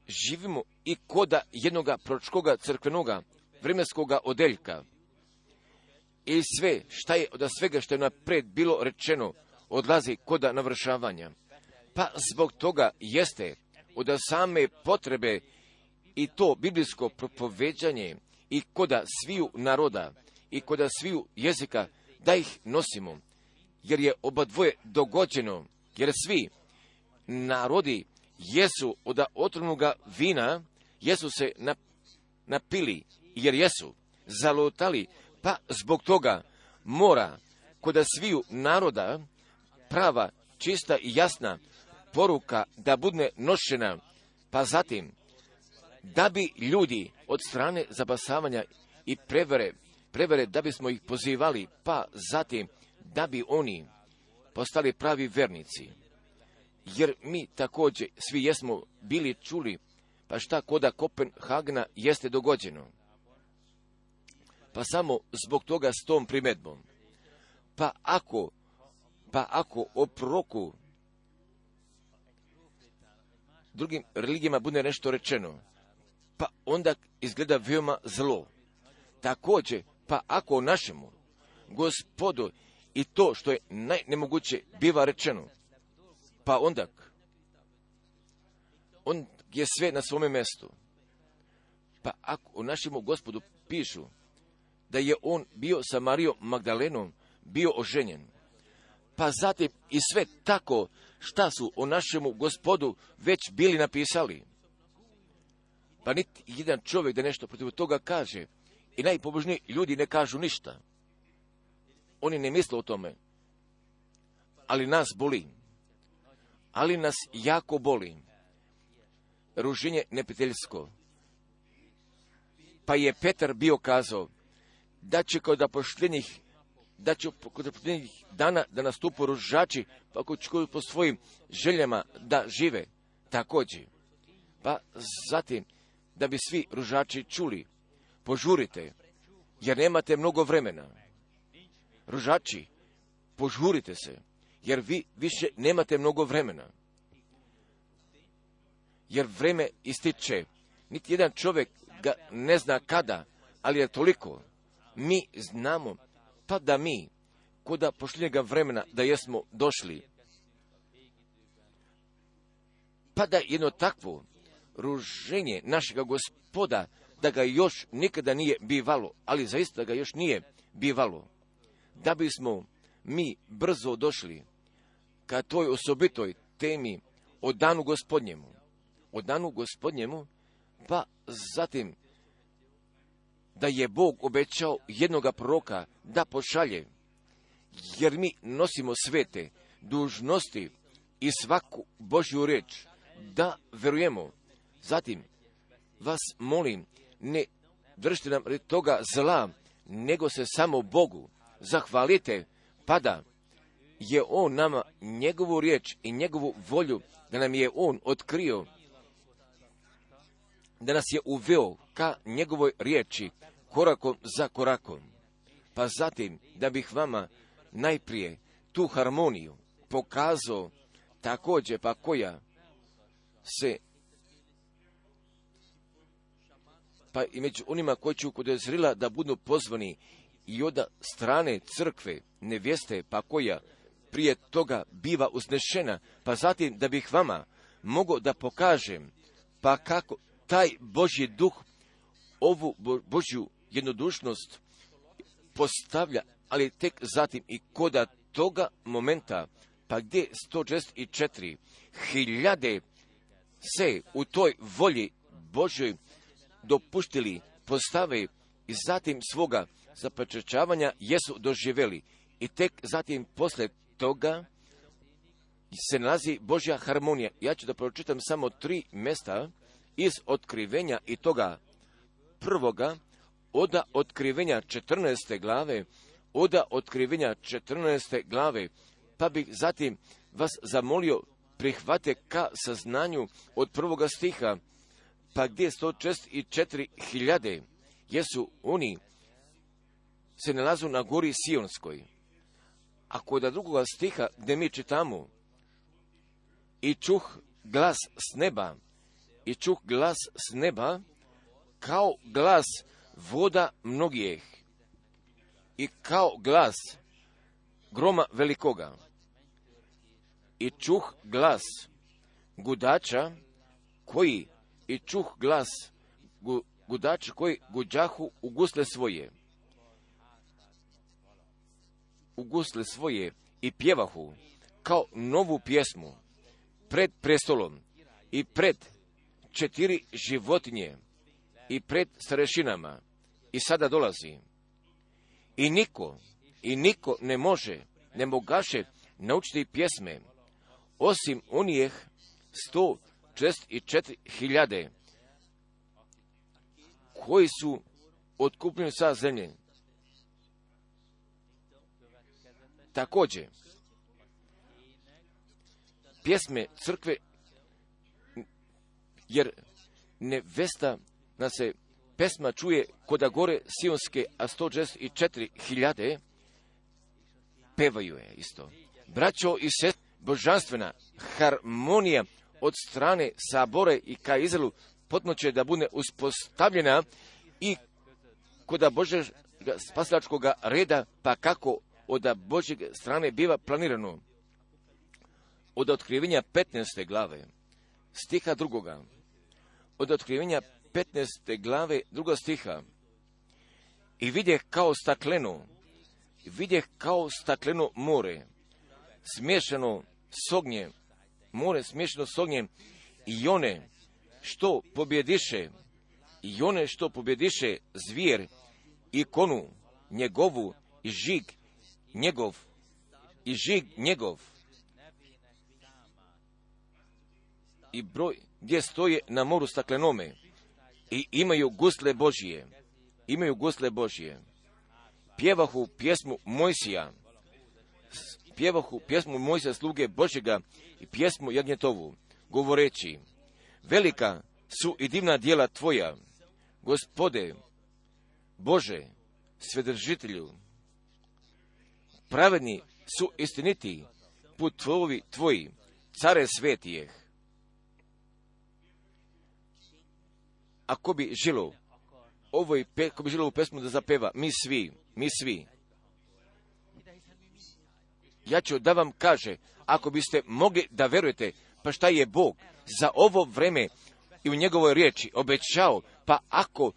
živimo i koda jednoga proročkoga crkvenoga vremenskoga odeljka i sve šta je od svega što je napred bilo rečeno odlazi koda navršavanja. Pa zbog toga jeste od same potrebe i to biblijsko propoveđanje i koda sviju naroda i koda sviju jezika da ih nosimo, jer je oba dvoje dogođeno, jer svi narodi jesu od otrovnoga vina, jesu se napili, jer jesu zalutali, pa zbog toga mora kod sviju naroda prava, čista i jasna poruka da bude nošena, pa zatim da bi ljudi od strane zabasavanja i prevere, prevere da bismo ih pozivali, pa zatim da bi oni postali pravi vernici. Jer mi također svi jesmo bili čuli, pa šta koda Kopenhagena jeste dogođeno. Pa samo zbog toga s tom primedbom. Pa ako, pa ako o proroku drugim religijama bude nešto rečeno, pa onda izgleda veoma zlo. Također, pa ako o našemu Gospodu i to što je najnemoguće biva rečeno, pa onda on je sve na svome mjestu. Pa ako o našemu Gospodu pišu da je on bio sa Marijom Magdalenom bio oženjen, pa zatim i sve tako šta su o našemu Gospodu već bili napisali. Pa niti jedan čovjek da nešto protiv toga kaže i najpobožniji ljudi ne kažu ništa. Oni ne misle o tome. Ali nas boli. Ali nas jako boli. Ruženje neprijateljsko. Pa je Petar bio kazao da će kod poštenjih da će kod poštenjih dana da nastupu ružači, pa ko će po svojim željama da žive također. Pa zatim da bi svi ružači čuli, požurite, jer nemate mnogo vremena. Ružači, požurite se, jer vi više nemate mnogo vremena. Jer vreme ističe, niti jedan čovjek ga ne zna kada, ali je toliko. Mi znamo, pa da mi, koda pošljenjega vremena, da jesmo došli, pa da jedno takvo ruženje našega Gospoda, da ga još nikada nije bivalo, ali zaista ga još nije bivalo, da bismo mi brzo došli ka toj osobitoj temi o danu Gospodnjemu, o danu Gospodnjemu, pa zatim da je Bog obećao jednoga proroka da pošalje, jer mi nosimo svete dužnosti i svaku Božju riječ, da verujemo. Zatim vas molim, ne držite nam toga zla, nego se samo Bogu zahvalite, pa da je On nama njegovu riječ i njegovu volju, da nam je On otkrio, da nas je uveo ka njegovoj riječi, korakom za korakom. Pa zatim, da bih vama najprije tu harmoniju pokazao, također pa koja se, pa i među onima koji ću kod Izraela da budu pozvani i od strane crkve, nevjeste, pa koja prije toga biva uznešena, pa zatim da bih vama mogao da pokažem, pa kako taj Božji duh ovu Božju jednodušnost postavlja, ali tek zatim i koda toga momenta, pa gdje sto šezdeset četiri hiljade se u toj volji Božoj dopuštili postave i zatim svoga zaprečačavanja jesu doživjeli. I tek zatim posle toga se nalazi Božja harmonija. Ja ću da pročitam samo tri mjesta iz otkrivenja i toga prvoga, oda otkrivenja četrnaeste glave, oda otkrivenja četrnaeste glave, pa bih zatim vas zamolio prihvate ka saznanju od prvoga stiha, pa gdje sto šezdeset četiri hiljade jesu oni se nalazu na gori Sionskoj. A kod drugoga stiha gdje mi čitamo i čuh glas s neba, i čuh glas s neba kao glas voda mnogijeh i kao glas groma velikoga. I čuh glas gudača koji, i čuh glas gu, gudača koji guđahu u gusle svoje, u gusle svoje i pjevahu kao novu pjesmu pred prestolom i pred četiri životinje i pred starešinama. I sada dolazi. I niko, i niko ne može, ne mogaše naučiti pjesme, osim onih sto šezdeset četiri hiljade koji su otkupljeni sa zemlje. Također, pjesme crkve, jer nevesta nas se pesma čuje koda gore Sionske, a sto šezdeset četiri hiljade pevaju je isto. Braćo i sestre, božanstvena harmonija od strane sabore i ka Izraelu potpuno će da bude uspostavljena i koda Božeg spasilačkog reda, pa kako od Božjeg strane biva planirano. Od otkrivenja petnaeste glave, stiha drugoga, od otkrivenja petnaeste glave, druga stiha, i vidjeh kao stakleno, vidjeh kao stakleno more, smiješano s ognjem, more smiješano s ognjem, i one što pobjediše, i one što pobjediše zvijer, i konu njegovu, i žig njegov, i žig njegov, i broj gdje stoje na moru staklenome, i imaju gusle Božije, imaju gusle Božije. Pjevahu pjesmu Mojsija, pjevahu pjesmu Mojsija sluge Božjega i pjesmu Jagnjetovu, govoreći, velika su i divna djela tvoja, Gospode, Bože, Svedržitelju, pravedni su istiniti put tvoji, tvoji, care svetijeh. ako bi žilo ovoj, ko bi žilo ovu pesmu da zapeva, mi svi, mi svi, ja ću da vam kaže, ako biste mogli da verujete, pa šta je Bog za ovo vreme i u njegovoj riječi obećao, pa ako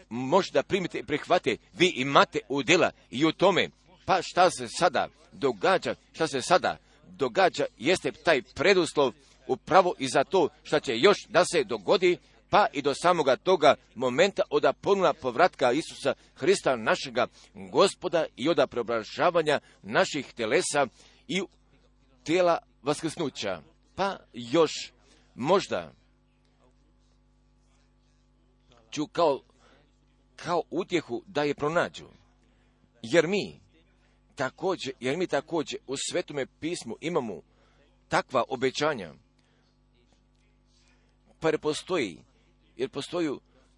možete da primite i prihvate, vi imate udjela i u tome, pa šta se sada događa, šta se sada događa, jeste taj preduslov upravo i za to šta će još da se dogodi, pa i do samoga toga momenta od ponovna povratka Isusa Hrista, našega Gospoda, i od preobražavanja naših telesa i tijela vaskrsnuća. Pa još možda ću kao, kao utjehu da je pronađu, jer mi također, jer mi također u Svetome pismu imamo takva obećanja, pa jer postoji, jer postoji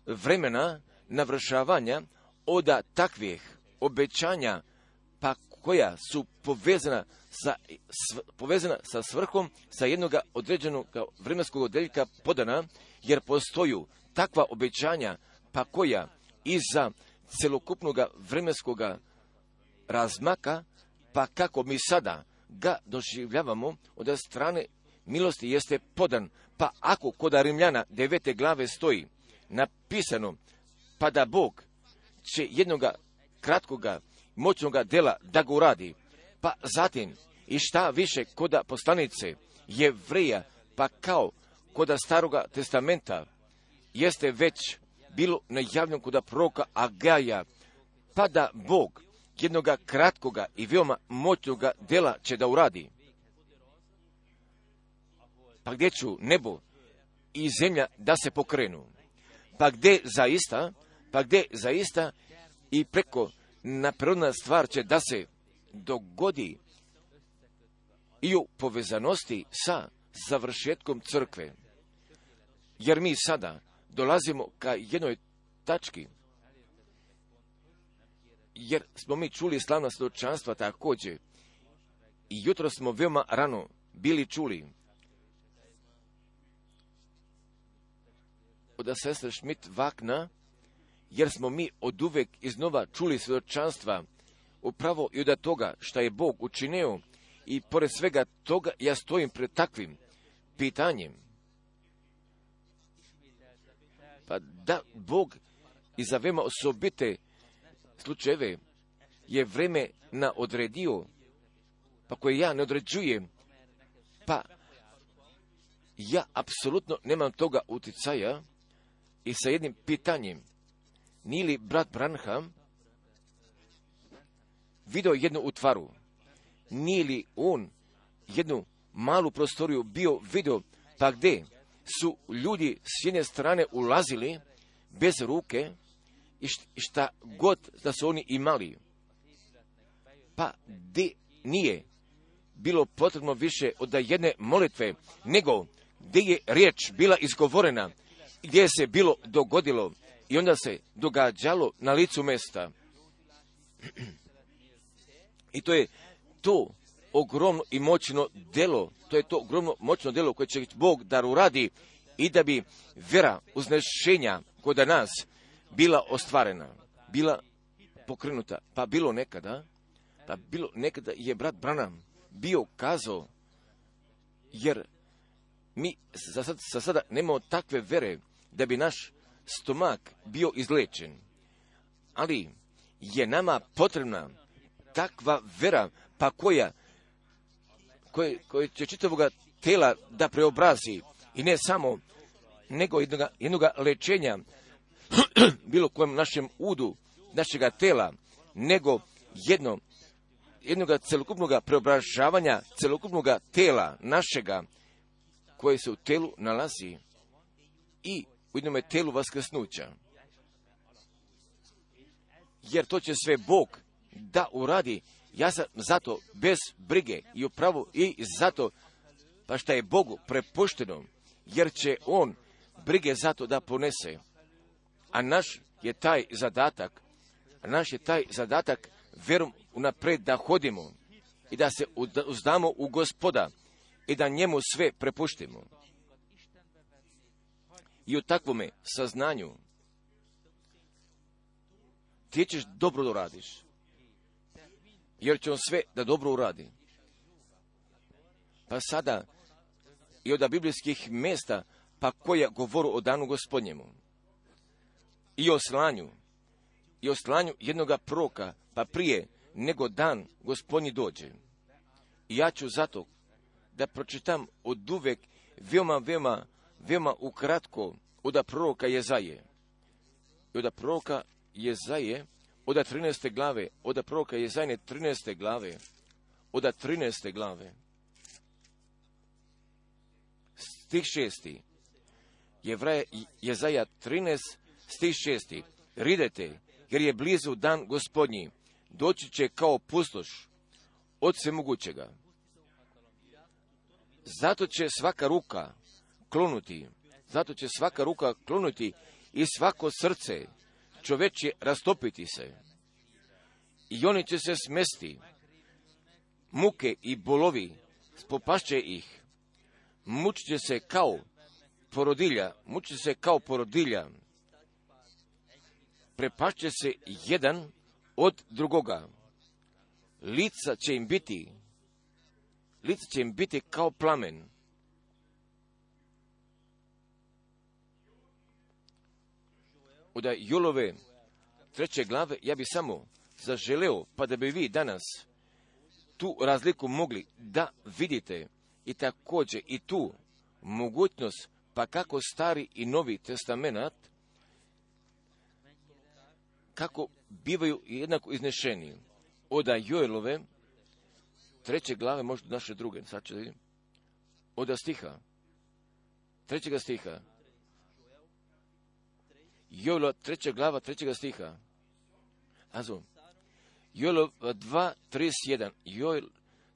vremena navršavanja od takvih obećanja, pa koja su povezana sa, s, povezana sa svrhom, sa jednog određenog vremenskog odjeljka podana, jer postoji takva obećanja, pa koja iza celokupnog vremenskog razmaka, pa kako mi sada ga doživljavamo od strane milosti jeste podan, pa ako kod Rimljana devete glave stoji napisano, pa da Bog će jednoga kratkoga moćnoga dela da ga uradi, pa zatim i šta više kod poslanice Jevreja, pa kao kod Staroga testamenta jeste već bilo najavljeno kod proroka Agaja, pa da Bog jednoga kratkoga i veoma moćnoga dela će da uradi. Pa gdje ću nebo i zemlja da se pokrenu? Pa gdje zaista, pa gdje zaista i preko naprirodna stvar će da se dogodi i u povezanosti sa završetkom crkve. Jer mi sada dolazimo ka jednoj tački, jer smo mi čuli slavna svjedočanstva također i jutro smo veoma rano bili čuli od sestre Schmidt-Wagner, jer smo mi od uvek iznova čuli svjedočanstva upravo i od toga što je Bog učinio, i pored svega toga ja stojim pred takvim pitanjem. Pa da Bog i za veoma osobite slučajeve je vreme na odredio, pa koje ja ne određujem, pa ja apsolutno nemam toga uticaja, i sa jednim pitanjem, nije li brat Branham video jednu utvaru, nije li on jednu malu prostoriju bio video, pa gdje su ljudi s jedne strane ulazili bez ruke i šta god da su oni imali, pa gdje nije bilo potrebno više od jedne molitve, nego gdje je riječ bila izgovorena, gdje se bilo dogodilo i onda se događalo na licu mesta. I to je to ogromno i moćno delo, to je to ogromno moćno delo koje će Bog da uradi i da bi vera uznešenja kod nas bila ostvarena, bila pokrenuta. Pa bilo nekada, pa bilo nekada je brat Branham bio kazao, jer mi za, sad, za sada nemamo takve vere da bi naš stomak bio izlečen, ali je nama potrebna takva vera, pa koja, koja, koja će čitavoga tela da preobrazi, i ne samo, nego jednoga, jednoga lečenja bilo kojem našem udu našega tela, nego jedno, jednoga celokupnog preobražavanja celokupnog tela našega, koje se u telu nalazi i u jednome telu vaskrsnuća. Jer to će sve Bog da uradi. Ja sam zato bez brige i upravo i zato, pa šta je Bogu prepušteno, jer će On brige zato da ponese. A naš je taj zadatak, a naš je taj zadatak verom unapred da hodimo i da se uzdamo u Gospoda i da njemu sve prepuštimo. I u takvome saznanju ti ćeš dobro da radiš, jer će on sve da dobro uradi. Pa sada i od biblijskih mjesta, pa koja govoru o danu Gospodnjemu i o slanju, i o slanju jednoga proroka, pa prije nego dan Gospodnji dođe. I ja ću zato da pročitam od uvek veoma, veoma, veoma ukratko od proroka Jezaje. I od proroka Jezaje, od trinaeste glave, od proroka Jezajne trinaeste glave, od trinaeste glave. Stih šesti. Jevraja Jezaja trinaest, stih šesti. Ridete, jer je blizu dan Gospodnji, doći će kao pustoš od svemogućega. Zato će svaka ruka klonuti, zato će svaka ruka klonuti i svako srce čovečje rastopiti se. I oni će se smesti, muke i bolovi spopašće ih, mučit će se kao porodilja, mučit će se kao porodilja, prepašće se jedan od drugoga. Lica će im biti, lica će im biti kao plamen. Od Jolove treće glave ja bi samo zaželeo, pa da bi vi danas tu razliku mogli da vidite i također i tu mogućnost, pa kako Stari i Novi testament, kako bivaju jednako iznešeni. Od Joelove treće glave, možda naše druge, sad ću da vidim, od stiha, trećega stiha, Joelova treća glava, trećega stiha, azo, Joelov dva, trideset jedan, Joel,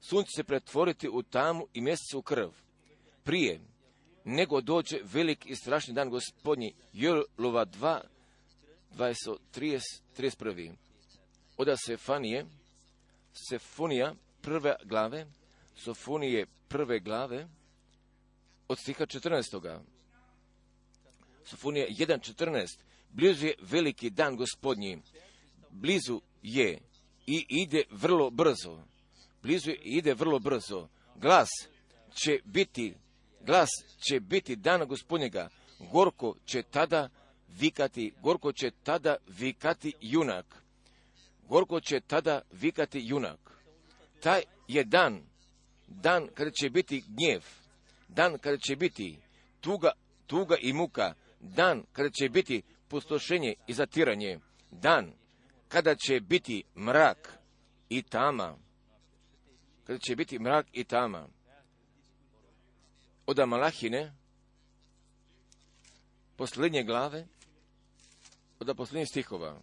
sunce se pretvoriti u tamu i mjesec u krv, prije nego dođe velik i strašni dan Gospodnji. Joelova dva, dvadeset, trideset, trideset jedan. Od Sefanije, Sefonija prve glave, Sofonije prve glave, od stiha četrnaestoga. Sofonija jedan četrnaest. Blizu je veliki dan Gospodnji, blizu je i ide vrlo brzo. Blizu je i ide vrlo brzo. Glas će biti, glas će biti dana Gospodnjega. Gorko će tada vikati, gorko će tada vikati junak. Gorko će tada vikati junak. Taj je dan, dan kada će biti gnjev, dan kada će biti tuga, tuga i muka, dan kada će biti pustošenje i zatiranje, dan kada će biti mrak i tama, kada će biti mrak i tama. Od Malahine, posljednje glave, od posljednjih stihova.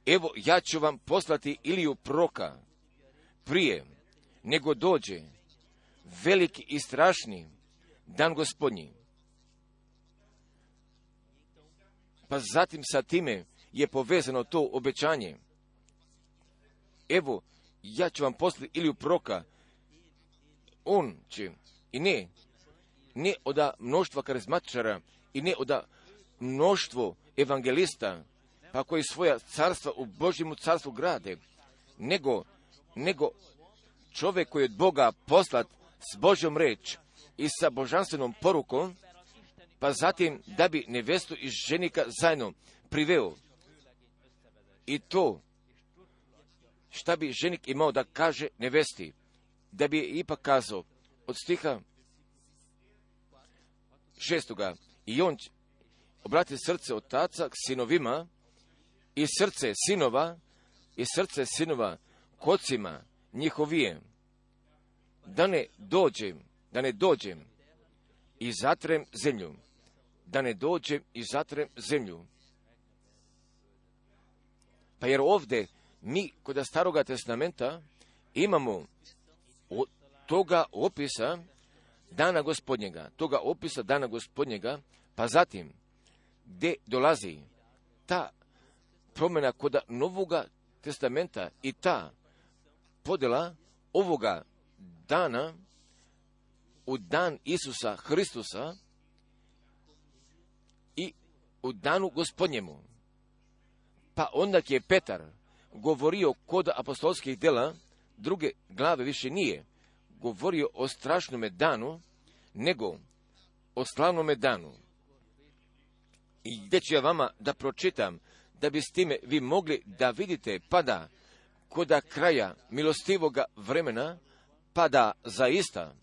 Evo, ja ću vam poslati Iliju proroka prije nego dođe veliki i strašni dan Gospodnji. Pa zatim sa time je povezano to obećanje. Evo, ja ću vam poslati Iliju proroka. On će, i ne, ne od mnoštva karizmatičara, i ne od mnoštvo evangelista, pa koji svoja carstva u Božjemu carstvu grade, nego, nego čovjek koji je od Boga poslat s Božjom reč i sa božanstvenom porukom, pa zatim da bi nevestu i ženika zajedno priveo. I to, šta bi ženik imao da kaže nevesti, da bi je ipak kazao od stiha šestoga. I on obrati srce otaca k sinovima i srce sinova i srce sinova k ocima njihovije, da ne dođem, da ne dođem i zatrem zemlju, da ne dođem i zatrem zemlju. Pa jer ovdje mi kod Staroga testamenta imamo od toga opisa dana Gospodnjega, toga opisa dana Gospodnjega, pa zatim gdje dolazi ta promjena kod Novoga testamenta i ta podjela ovoga dana u dan Isusa Hristusa i u danu Gospodnjemu. Pa onda je Petar govorio kod apostolskih djela, druge glave više nije govorio o strašnome danu, nego o slavnome danu. I gdje ću ja vama da pročitam, da bi s time vi mogli da vidite, pa da koda kraja milostivoga vremena, pa da zaista,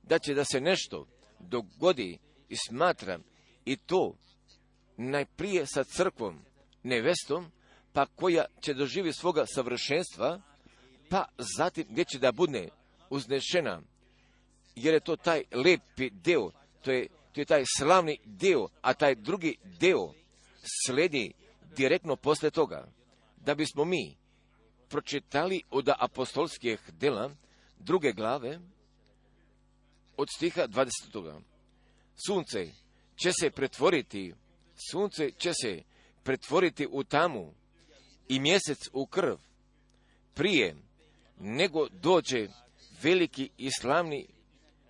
da će da se nešto dogodi i smatram, i to najprije sa crkvom, nevestom, pa koja će doživjeti svoga savršenstva, pa zatim gdje će da bude uznešena, jer je to taj lepi deo, to je, to je taj slavni deo, a taj drugi deo sledi direktno posle toga. Da bismo mi pročitali od apostolskih dela druge glave, od stiha dvadesetog. Sunce će se pretvoriti, sunce će se pretvoriti u tamu i mjesec u krv, prije nego dođe veliki i slavni,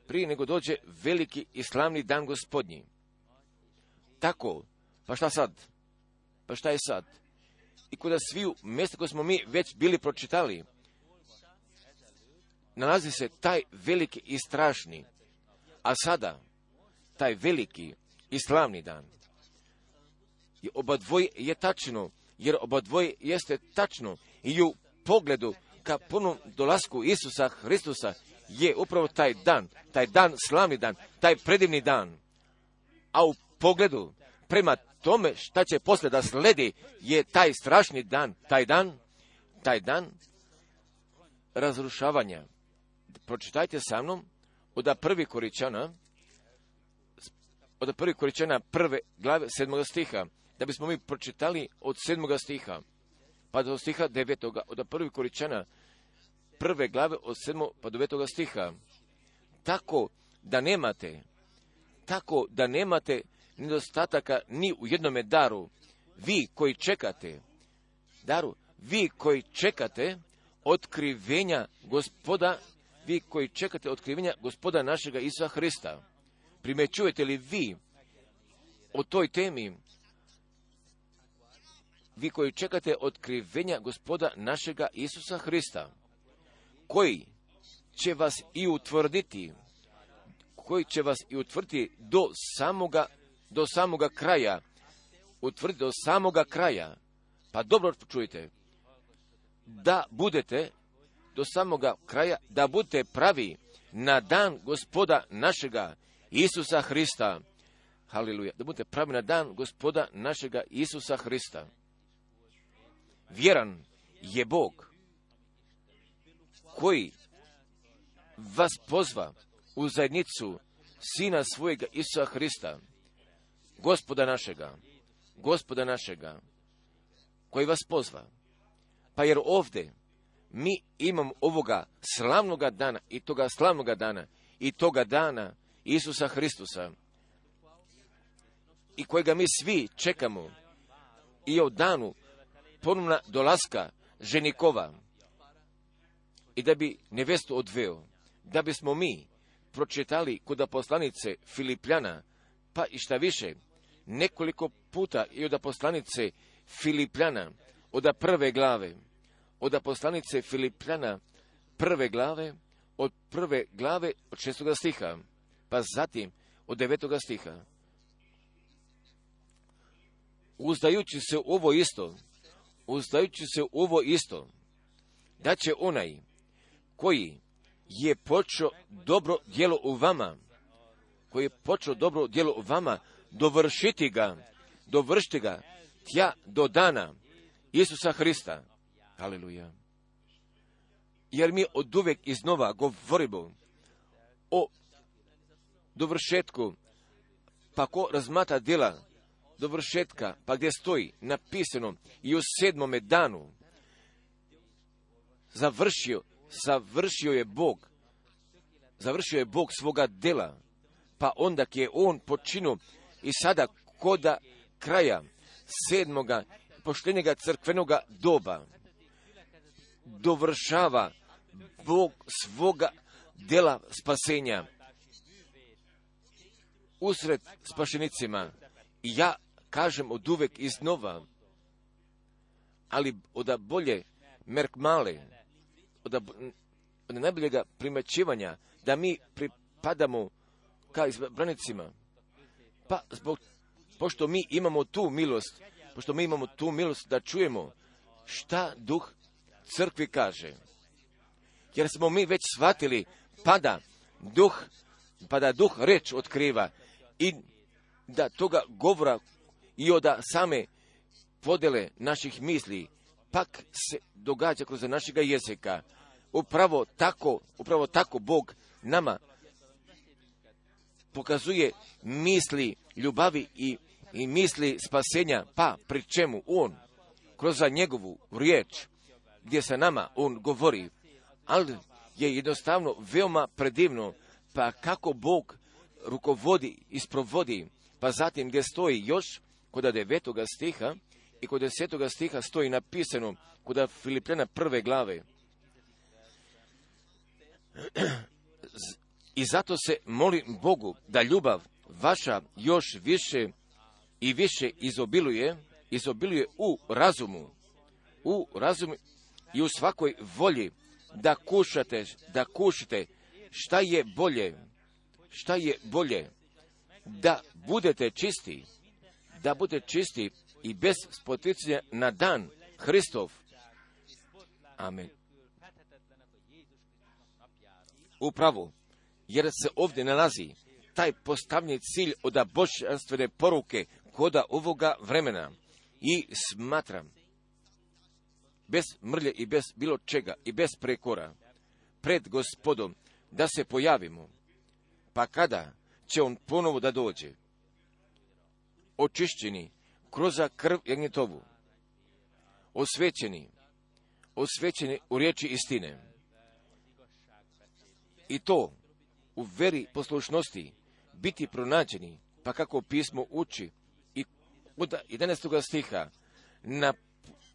prije nego dođe veliki i slavni dan Gospodnji. Tako, pa šta sad? Pa šta je sad? I kod sviju mjesta koje smo mi već bili pročitali, nalazi se taj veliki i strašni, a sada taj veliki i slavni dan. I oba dvoje je tačno, jer oba dvoje jeste tačno i u pogledu ka punom dolasku Isusa Hristusa je upravo taj dan, taj dan, slavni dan, taj predivni dan. A u pogledu prema tome šta će posle da sledi je taj strašni dan, taj dan, taj dan razrušavanja. Pročitajte sa mnom od prvi Koričana, od prvi Koričana prve glave sedmoga stiha, da bismo mi pročitali od sedmoga stiha, pa do stiha devetoga, od prvi Koričana prve glave od sedmog pa do devetoga stiha. Tako da nemate, tako da nemate nedostataka ni u jednome daru, vi koji čekate, daru, vi koji čekate otkrivenja Gospoda, vi koji čekate otkrivenja Gospoda našega Isusa Hrista. Primećujete li vi o toj temi? Vi koji čekate otkrivenja Gospoda našega Isusa Hrista, koji će vas i utvrditi, koji će vas i utvrditi do samoga, do samoga kraja, utvrditi do samoga kraja. Pa dobro čujte, da budete do samoga kraja, da budete pravi na dan Gospoda našega Isusa Hrista. Haleluja, da budete pravi na dan Gospoda našega Isusa Hrista. Vjeran je Bog koji vas pozva u zajednicu Sina svojega Isusa Hrista, Gospoda našega, Gospoda našega, koji vas pozva. Pa jer ovdje mi imamo ovoga slavnoga dana i toga slavnoga dana i toga dana Isusa Hristusa, i kojega mi svi čekamo, i o danu ponovna dolaska ženikova, i da bi nevestu odveo, da bismo mi pročitali kod poslanice Filipljana, pa i šta više, nekoliko puta i od poslanice Filipljana, od prve glave, od poslanice Filipljana prve glave, od prve glave od šestoga stiha, pa zatim od devetoga stiha. Uzdajući se u ovo isto, uzdajući se u ovo isto, da će onaj koji je počeo dobro djelo u vama, koji je počeo dobro djelo u vama, dovršiti ga, dovršiti ga tja do dana Isusa Hrista. Haleluja. Jer mi od uvek iznova govorimo o dovršetku, pa ko razmatra djela dovršetka, pa gdje stoji napisano i u sedmome danu završio, završio je Bog, završio je Bog svoga djela, pa onda je on počinio i sada koda kraja sedmoga poštenjega crkvenoga doba dovršava Bog svoga djela spasenja usred spašenicima. I ja kažem od uvek iznova, ali od bolje merkmale, od, od najboljega primećivanja, da mi pripadamo ka izbranicima. Pa zbog, pošto mi imamo tu milost, pošto mi imamo tu milost da čujemo šta duh crkvi kaže. Jer smo mi već shvatili, pada duh, pada duh reč otkriva i da toga govora i od same podele naših misli pak se događa kroz našega jezika. Upravo tako, upravo tako Bog nama pokazuje misli ljubavi i, i misli spasenja, pa pri čemu On kroz njegovu riječ gdje sa nama On govori, ali je jednostavno veoma predivno, pa kako Bog rukovodi i sprovodi, pa zatim gdje stoji još kod devetoga stiha i kod desetoga stiha stoji napisano kod Filipljana prve glave. I zato se molim Bogu da ljubav vaša još više i više izobiluje, izobiluje u razumu, u razumu i u svakoj volji, da kušate, da kušite šta je bolje, šta je bolje, da budete čisti, da budete čisti i bez spoticanja na dan Hristov. Amen. Upravo, jer se ovdje nalazi taj postavljeni cilj od božanstvene poruke koda ovoga vremena i smatram bez mrlje i bez bilo čega i bez prekora pred Gospodom da se pojavimo, pa kada će On ponovo da dođe, očišćeni kroz krv jagnjetovu, osvećeni, osvećeni u riječi istine, i to u veri poslušnosti biti pronađeni, pa kako pismo uči, i od jedanaestoga stiha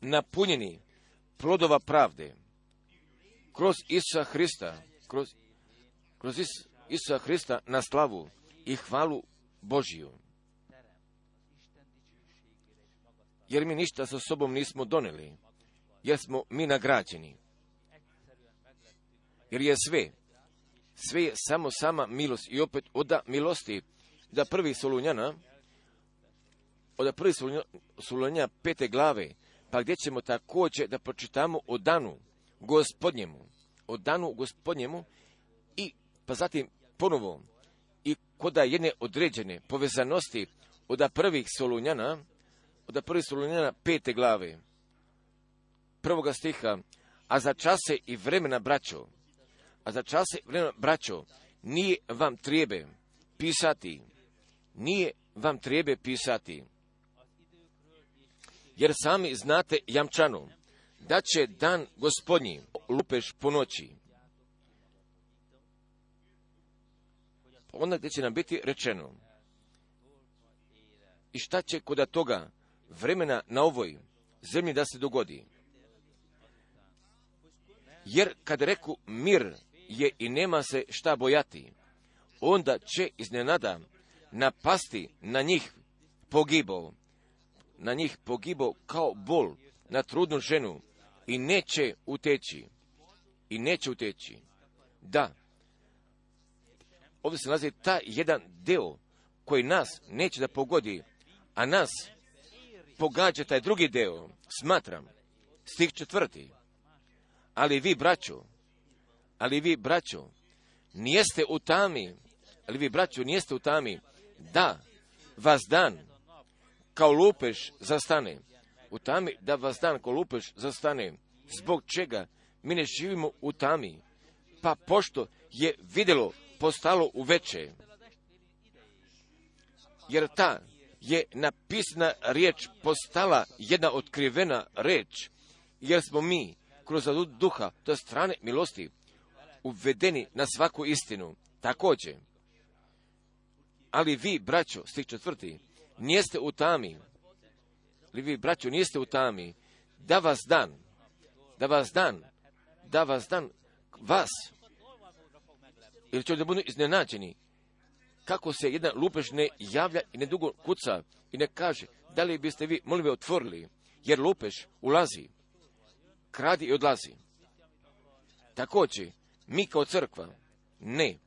napunjeni plodova pravde kroz Isusa Hrista, kroz, kroz Is, Isusa Hrista na slavu i hvalu Božiju. Jer mi ništa sa sobom nismo doneli, jer smo mi nagrađeni. Jer je sve, sve je samo sama milost i opet oda milosti, da prvi Solunjana, od prvi Solunjana pete glave, pa gdje ćemo također da pročitamo o danu Gospodnjemu, o danu Gospodnjemu i pa zatim ponovo i kod jedne određene povezanosti od prvih Solunjana, od prvih Solunjana pete glave, prvoga stiha, a za čase i vremena braćo, a za čase i vremena braćo, nije vam treba pisati, nije vam treba pisati, jer sami znate jamčano da će dan Gospodnji lupeš po noći. Onda gdje će nam biti rečeno i šta će kod toga vremena na ovoj zemlji da se dogodi. Jer kad reku mir je i nema se šta bojati, onda će iznenada napasti na njih pogibao, na njih pogibao kao bol na trudnu ženu i neće uteći, i neće uteći. Da, ovdje se nalazi taj jedan deo koji nas neće da pogodi, a nas pogađa taj drugi deo, smatram, stih četvrti. Ali vi, braćo, ali vi, braćo, nijeste u tami, ali vi, braćo, nijeste u tami, da vas dan kao lupež zastane. U tami da vas dan kao lupež zastane. Zbog čega mi ne živimo u tami? Pa pošto je vidjelo postalo uveče. Jer ta je napisana riječ postala jedna otkrivena riječ. Jer smo mi kroz duha, to strane milosti, uvedeni na svaku istinu. Također. Ali vi, braćo, stih četvrti, nijeste u tami, ali vi, braćo, nijeste u tami, da vas dan, da vas dan, da vas dan, vas, ili će da budu iznenađeni, kako se jedan lupež ne javlja i ne dugo kuca i ne kaže, da li biste vi, molim, otvorili, jer lupež ulazi, kradi i odlazi. Također, mi kao crkva, ne.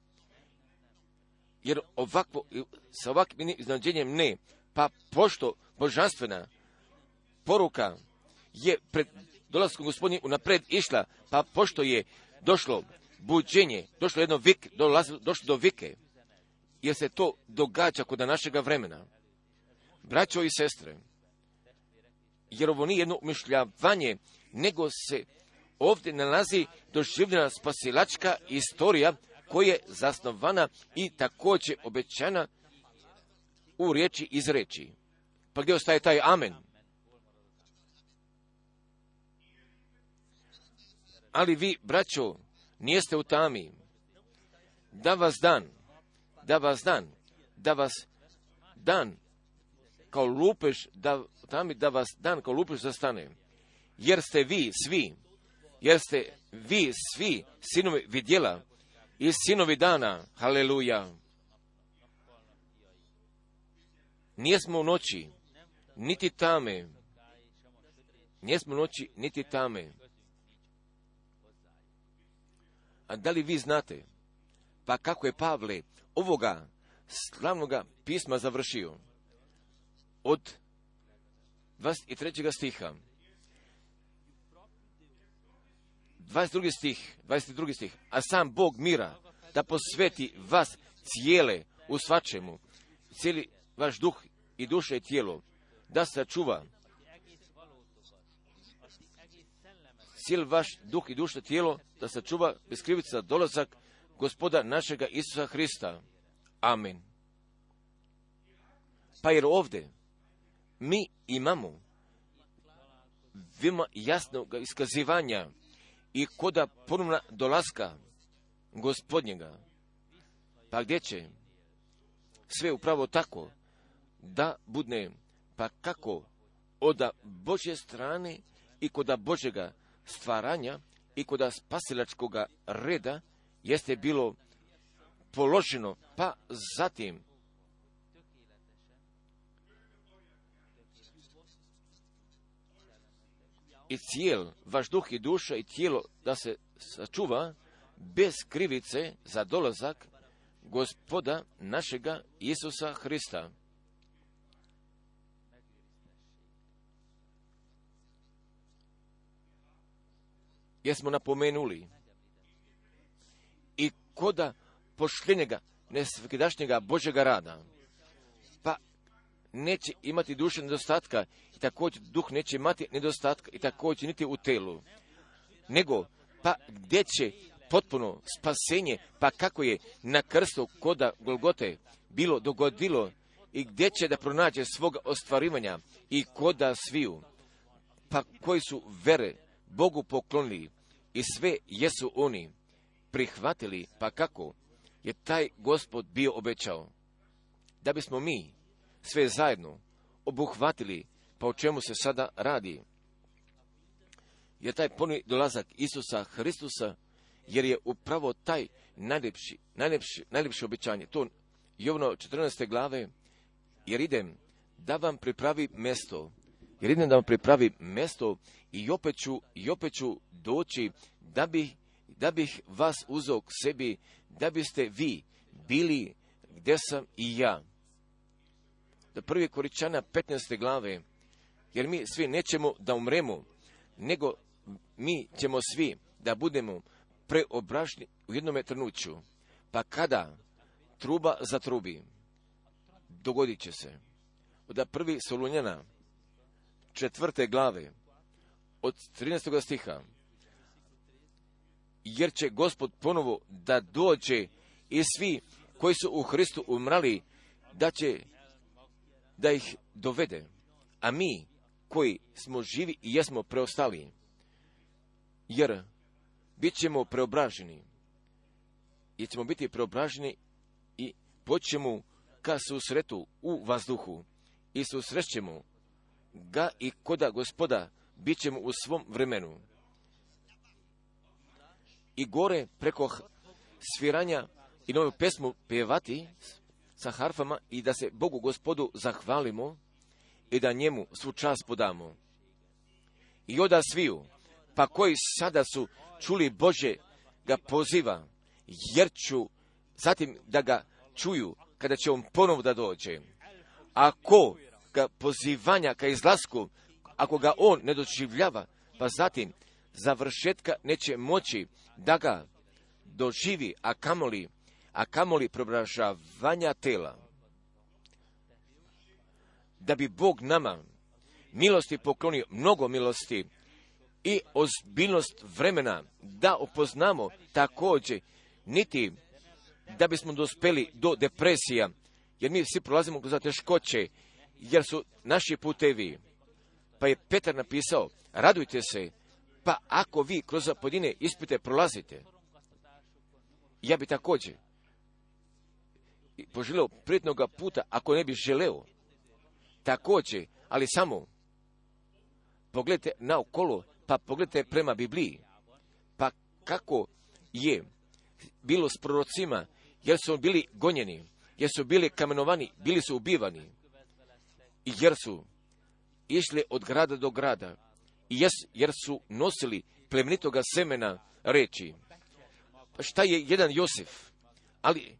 Jer ovakvo, sa ovakvim iznenađenjem ne. Pa pošto božanstvena poruka je pred dolaskom Gospodnjim unapred išla, pa pošto je došlo buđenje, došlo jedno vik, došlo do vike, jer se to događa kod našega vremena. Braćo i sestre, jer ovo nije jedno umišljavanje, nego se ovdje nalazi doživljena spasilačka istorija koja je zasnovana i također obećana u riječi iz reči. Pa gdje ostaje taj amen? Ali vi, braćo, nijeste u tami. Da vas dan, da vas dan, da vas dan kao lupež, da, tami, da vas dan kao lupež zastane. Jer ste vi svi, jer ste vi svi sinovi vidjela i sinovi dana, haleluja. Nijesmo u noći, niti tame, nijesmo u noći, niti tame. A da li vi znate, pa kako je Pavle ovoga slavnoga pisma završio? Od dvadeset trećeg stiha. dvadeset drugi stih, dvadeset drugi stih. A sam Bog mira da posveti vas cijele u svačemu, cijeli vaš duh i duše i tijelo, da sačuva cijeli vaš duh i duše tijelo, da sačuva bez krivica dolazak Gospoda našega Isusa Hrista. Amen. Pa jer ovdje mi imamo veoma jasnog iskazivanja i koda ponovna dolaska Gospodnjega. Pa gdje će sve upravo tako da budne, pa kako od Božje strane i koda Božjega stvaranja i koda spasilačkoga reda jeste bilo položeno, pa zatim i cijel vaš duh i duša i tijelo da se sačuva bez krivice za dolazak Gospoda našega Isusa Hrista. Jesmo napomenuli i koda pošljenjega nesvakidašnjega Božjega rada, pa neće imati duše nedostatka i također duh neće imati nedostatka i također niti u telu, nego pa gdje će potpuno spasenje, pa kako je na krstu koda Golgote bilo dogodilo i gdje će da pronađe svoga ostvarivanja i koda sviju, pa koji su vere Bogu poklonili i sve jesu oni prihvatili, pa kako je taj Gospod bio obećao, da bismo mi sve zajedno obuhvatili, pa o čemu se sada radi. Jer taj ponovni dolazak Isusa Hristusa, jer je upravo taj najljepši, najljepši, najljepše obećanje, to Jovano četrnaeste glave, jer idem da vam pripravi mjesto, jer idem da vam pripravi mjesto i opet ću, i opet ću doći da bih, da bih vas uzeo k sebi, da biste vi bili gdje sam i ja. Do prvi Koričana petnaeste glave, jer mi svi nećemo da umremo, nego mi ćemo svi da budemo preobraženi u jednome trenuću. Pa kada truba zatrubi, dogodit će se. Od prvi Solunjana četvrte glave, od trinaestog stiha, jer će Gospod ponovo da dođe i svi koji su u Hristu umrali, da će da ih dovede. A mi koji smo živi i jesmo preostali, jer bit ćemo preobraženi, jer ćemo biti preobraženi i počnemo ka susretu u vazduhu i susrećemo ga i koda Gospoda bit ćemo u svom vremenu. I gore preko sviranja i novu pesmu pjevati, sa harfama i da se Bogu Gospodu zahvalimo i da njemu svu čast podamo. I oda sviju, pa koji sada su čuli Bože ga poziva, jer ću zatim da ga čuju kada će on ponovo da dođe. Ako ga pozivanja ka izlasku, ako ga on ne doživljava, pa zatim završetka neće moći da ga doživi, a kamoli, a kamoli preobražavanja tela. Da bi Bog nama milosti poklonio, mnogo milosti i ozbiljnost vremena, da upoznamo također, niti da bismo dospeli do depresija, jer mi svi prolazimo kroz teškoće, jer su naši putevi. Pa je Petar napisao, radujte se, pa ako vi kroz pojedine ispite prolazite, ja bi također poželeo prijetnoga puta, ako ne bi želeo, također, ali samo pogledajte naokolo, pa pogledajte prema Bibliji, pa kako je bilo s prorocima, jer su bili gonjeni, jer su bili kamenovani, bili su ubivani, i jer su išli od grada do grada, i jes, jer su nosili plemenitoga semena reči. Pa šta je jedan Josif, ali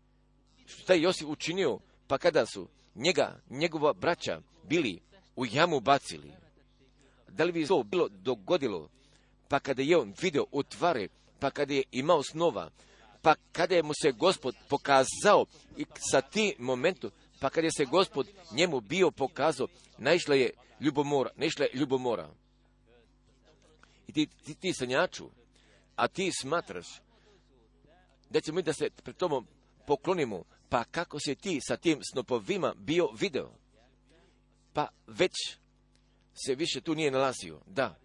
šta je Josif učinio, pa kada su njega, njegova braća bili u jamu bacili? Da li bi to bilo dogodilo, pa kada je on video utvare, pa kada je imao snova, pa kada je mu se Gospod pokazao i sa tim momentom, pa kada je se Gospod njemu bio pokazao, naišla je ljubomora, naišla je ljubomora. I ti, ti, ti sanjaču, a ti smatraš da ćemo mi da se pred tobom poklonimo, pa kako se ti sa tim snopovima bio video? Pa već se više tu nije nalazio, da.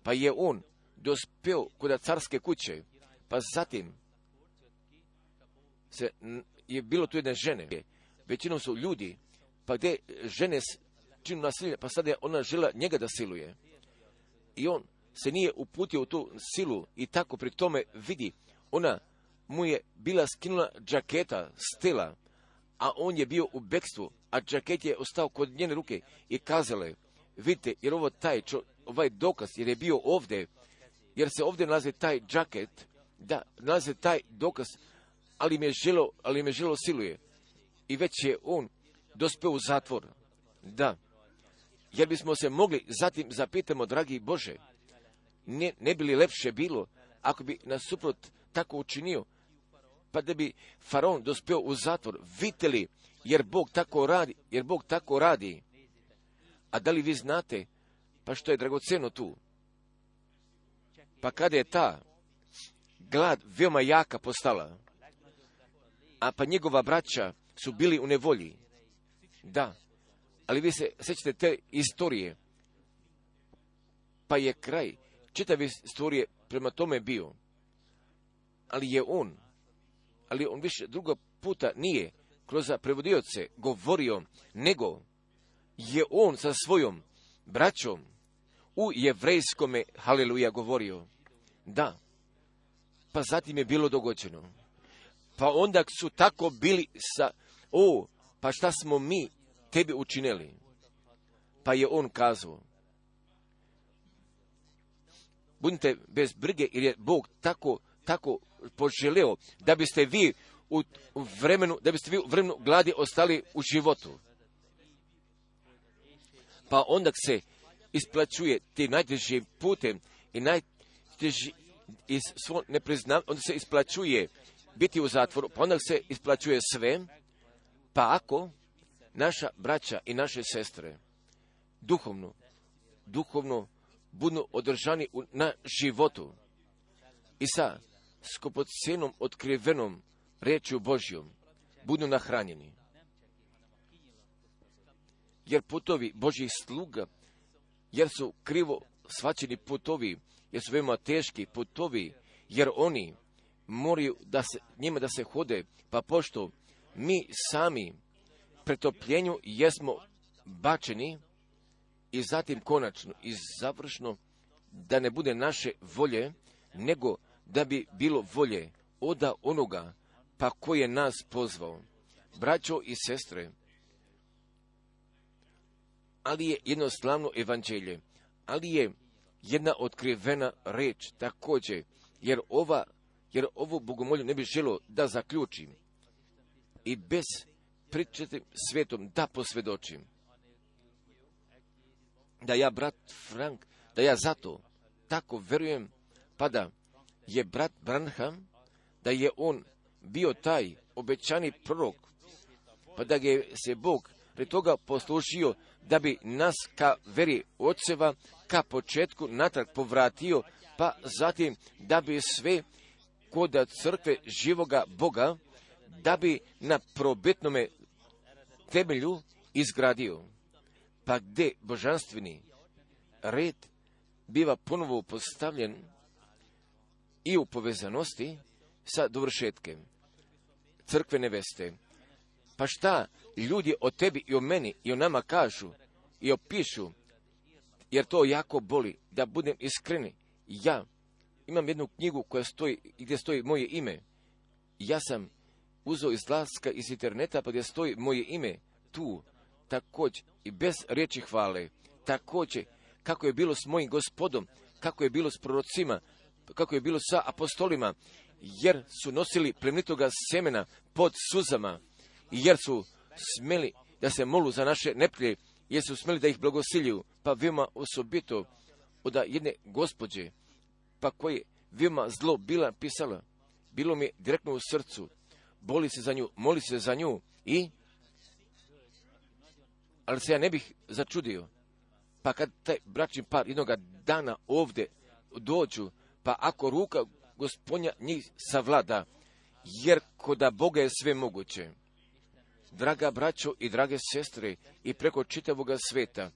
Pa je on dospeo kod carske kuće, pa zatim se, je bilo tu jedne žene, većinom su ljudi, pa gdje žene činu nasilje, pa sada je ona žela njega da siluje. I on se nije uputio u tu silu i tako pri tome vidi, ona mu je bila skinula džaketa s tela, a on je bio u bekstvu, a džaket je ostao kod njene ruke i kazala je, vidite, jer ovo taj, čo, ovaj dokaz, jer je bio ovdje, jer se ovdje nalazi taj džaket, da, nalazi taj dokaz, ali me želo, ali me želo siluje. I već je on dospeo u zatvor. Da, jer bismo se mogli zatim zapitamo, dragi Bože, ne, ne bi li lepše bilo, ako bi nasuprot tako učinio, pa da bi faraon dospeo u zatvor, vidite li, jer Bog tako radi, jer Bog tako radi. A da li vi znate, pa što je dragoceno tu? Pa kada je ta glad veoma jaka postala, a pa njegova braća su bili u nevolji, da, ali vi se sjećate te istorije, pa je kraj čitave istorije prema tome bio, ali je on, ali on više druga puta nije kroz prevodioce govorio, nego je on sa svojom braćom u jevrejskome haleluja govorio. Da, pa zatim je bilo dogođeno. Pa onda su tako bili sa, o, pa šta smo mi tebi učinili? Pa je on kazao, budite bez brige, jer je Bog tako, tako poželeo da biste vi u vremenu, da biste vi u vremenu gladi ostali u životu. Pa onda se isplaćuje ti najtežim putem i najteži iz svog nepriznavanja, onda se isplaćuje biti u zatvoru, pa onda se isplaćuje sve, pa ako naša braća i naše sestre duhovno, duhovno budu održani u, na životu i sa skupocenom otkrivenom rečju Božjom budu nahranjeni. Jer putovi Božjih sluga, jer su krivo shvaćeni putovi, jer su veoma teški putovi, jer oni moraju da se, njima da se hode, pa pošto mi sami pretopljenju jesmo bačeni i zatim konačno i završno da ne bude naše volje, nego da bi bilo volje oda onoga pa koji je nas pozvao. braćo i sestre, ali je jedno slavno evanđelje, ali je jedna otkrivena reč također, jer ova, jer ovo bogomolju ne bi želo da zaključim i bez pričati svetom da posvjedočim. Da ja, brat Frank, da ja zato tako verujem, pa da je brat Branham, da je on bio taj obećani prorok, pa da ga je se Bog pred toga poslužio da bi nas ka veri oceva, ka početku natrag povratio, pa zatim da bi sve kod crkve živoga Boga, da bi na probitnome temelju izgradio. Pa gdje božanstveni red biva ponovo postavljen i u povezanosti sa dovršetkem crkve neveste. Pa šta ljudi o tebi i o meni i o nama kažu i opišu, jer to jako boli, da budem iskreni. Ja imam jednu knjigu koja stoji, gdje stoji moje ime. Ja sam uzeo izlaska iz interneta, pa gdje stoji moje ime tu, također i bez riječi hvale, također kako je bilo s mojim Gospodom, kako je bilo s prorocima, kako je bilo sa apostolima, jer su nosili plemenitoga semena pod suzama, jer su smeli da se molu za naše neprijatelje, jer su smeli da ih blagosiljuju, pa veoma osobito od jedne gospođe, pa koje veoma zlo bila pisala, bilo mi direktno u srcu, boli se za nju, moli se za nju i, ali se ja ne bih začudio, pa kad taj bračni par jednoga dana ovdje dođu, pa ako ruka Gospodnja njih savlada, jer koda Boga je sve moguće. Draga braćo i drage sestre i preko čitavoga sveta,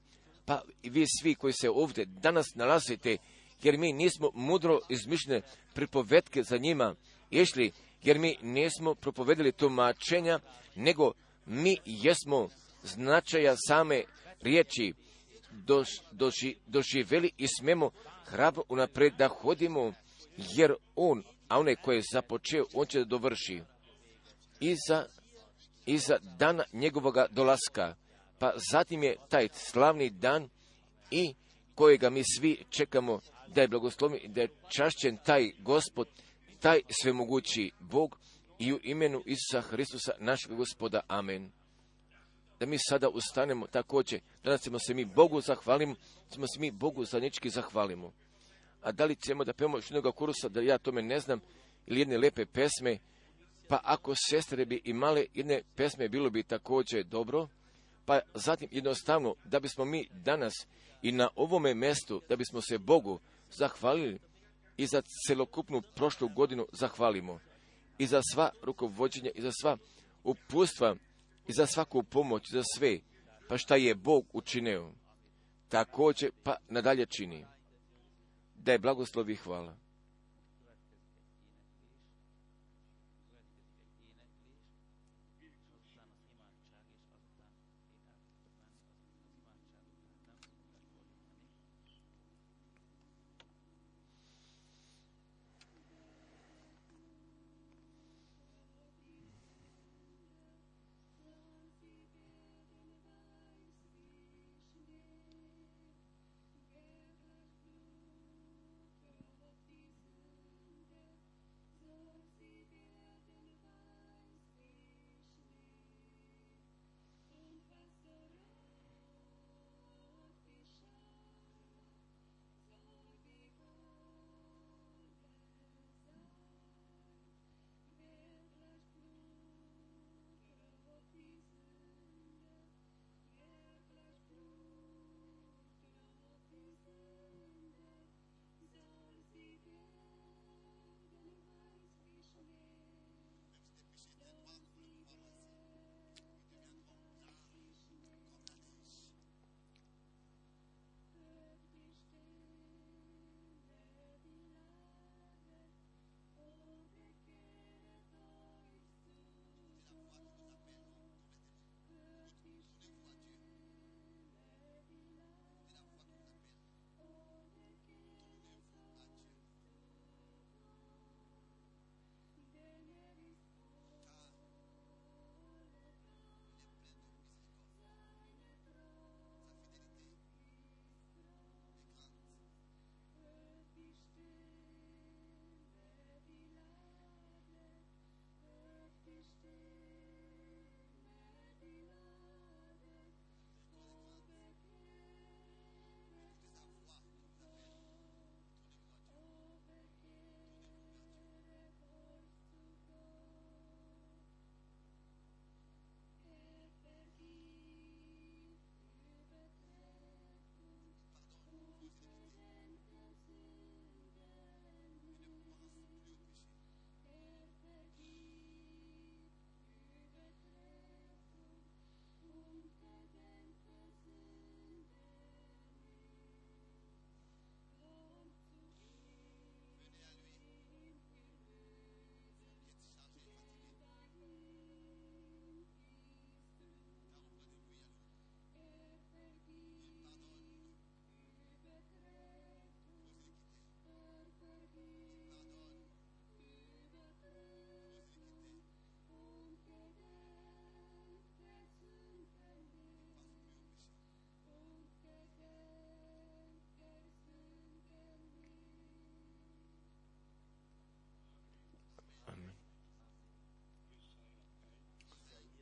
pa i vi svi koji se ovdje danas nalazite, jer mi nismo mudro izmišljene pripovetke za njima išli, jer mi nismo propovedali tumačenja, nego mi jesmo značaja same riječi dož, doži, doživjeli i smemo hrabro unaprijed da hodimo, jer on, a onaj koji je započeo, on će da dovrši. Iza, iza dana njegovoga dolaska, pa zatim je taj slavni dan i kojega mi svi čekamo da je blagosloven i da je čašćen taj Gospod, taj svemogući Bog i u imenu Isusa Hristusa, našeg Gospoda. Amen. Da mi sada ustanemo također, danas ćemo se mi Bogu zahvalimo, ćemo se mi Bogu zajednički zahvalimo. A da li ćemo da pevamo još jednog kurusa, da ja tome ne znam, ili jedne lepe pesme, pa ako sestre bi imale jedne pesme, bilo bi također dobro, pa zatim jednostavno, da bismo mi danas i na ovome mjestu, da bismo se Bogu zahvalili i za celokupnu prošlu godinu zahvalimo, i za sva rukovođenja, i za sva uputstva, i za svaku pomoć, za sve, pa šta je Bog učinio, također pa nadalje čini. Da je blagoslov i hvala.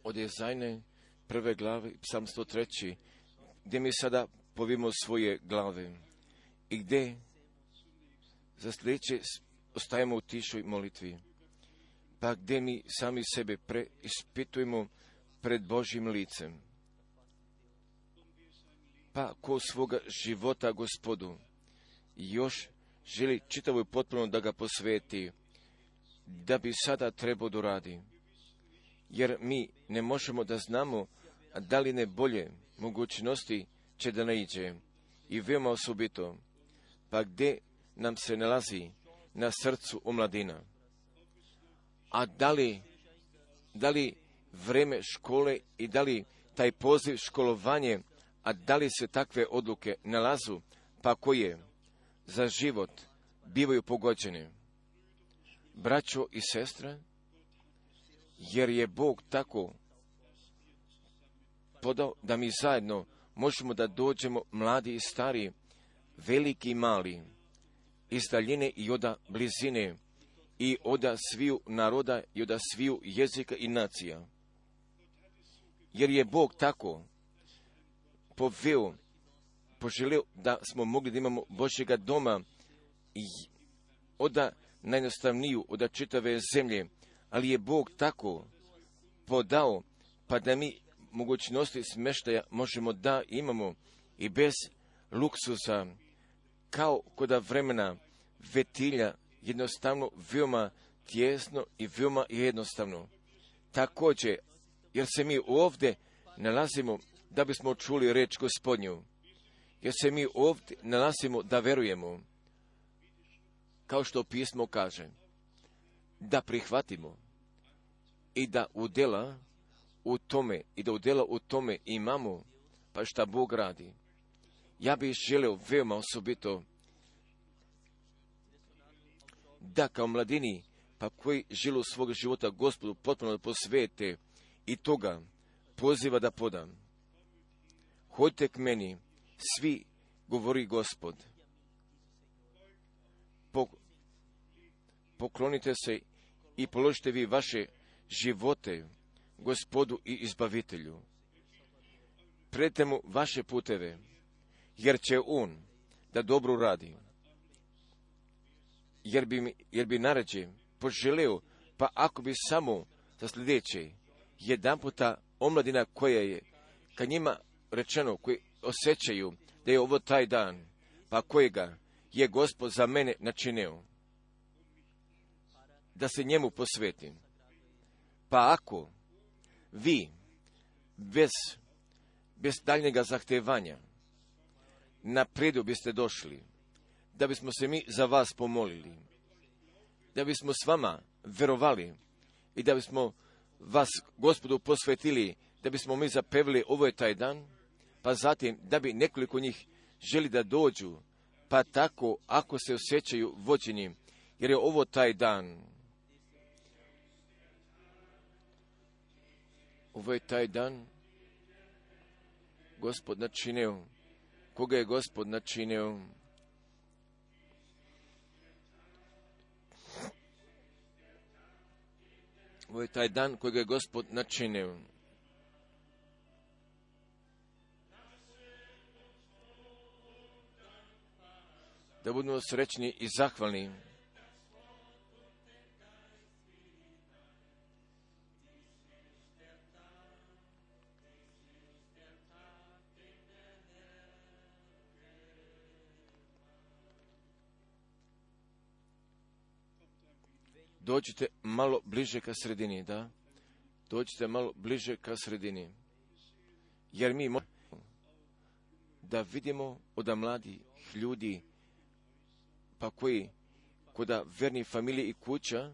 od Jezajne prve glave, psalm sto tri, gdje mi sada povimo svoje glave i gdje za sljedeće ostajemo u tišoj molitvi, pa gdje mi sami sebe preispitujemo pred Božjim licem. Pa ko svoga života Gospodu još želi čitavo i potpuno da ga posveti, da bi sada trebao da radi. Jer mi ne možemo da znamo da li ne bolje mogućnosti će da naiđe. I veoma osobito, pa gdje nam se nalazi na srcu omladina. A da li, da li vreme škole i da li taj poziv školovanje, a da li se takve odluke nalazu, pa koje za život bivaju pogođene. Braćo i sestre, jer je Bog tako podao da mi zajedno možemo da dođemo mladi i stari, veliki i mali, iz daljine i oda blizine, i oda sviju naroda i oda sviju jezika i nacija. Jer je Bog tako poveo, poželio da smo mogli da imamo Božjega doma i oda najjednostavniju, oda čitave zemlje, ali je Bog tako podao, pa da mi mogućnosti smještaja možemo da imamo i bez luksuza, kao koda vremena vetilja, jednostavno veoma tjesno i veoma jednostavno. Također, jer se mi ovdje nalazimo da bismo čuli reč Gospodnju, jer se mi ovdje nalazimo da verujemo, kao što pismo kaže, da prihvatimo i da udjela u tome, i da udjela u tome imamo, pa šta Bog radi. Ja bih želeo veoma osobito da kao mladini, pa koji žilu svog života Gospodu potpuno da posvete i toga poziva da podam. Hodite k meni, svi, govori Gospod. Poklonite se i položite vi vaše živote Gospodu i Izbavitelju. Predajte mu vaše puteve, jer će on da dobro radi. Jer bi, jer bi naređe poželeo, pa ako bi samo za sljedeće, jedan puta omladina koja je, kad njima rečeno, koji osjećaju da je ovo taj dan, pa kojega je Gospod za mene načinio, da se njemu posvetim. Pa ako vi bez, bez daljnjega zahtevanja napredu biste došli, da bismo se mi za vas pomolili, da bismo s vama verovali i da bismo vas Gospodu posvetili, da bismo mi zapevili ovo je taj dan, pa zatim da bi nekoliko njih želi da dođu, pa tako ako se osjećaju vođeni, jer je ovo taj dan. Ovo je taj dan Gospod načinio. Koga je Gospod načinio? Ovo je taj dan kojeg je Gospod načinio. Da budemo srećni i zahvalni. Dođite malo bliže ka sredini, da? Dođite malo bliže ka sredini. Jer mi možemo da vidimo od mladih ljudi, pa koji koda verni familije i kuća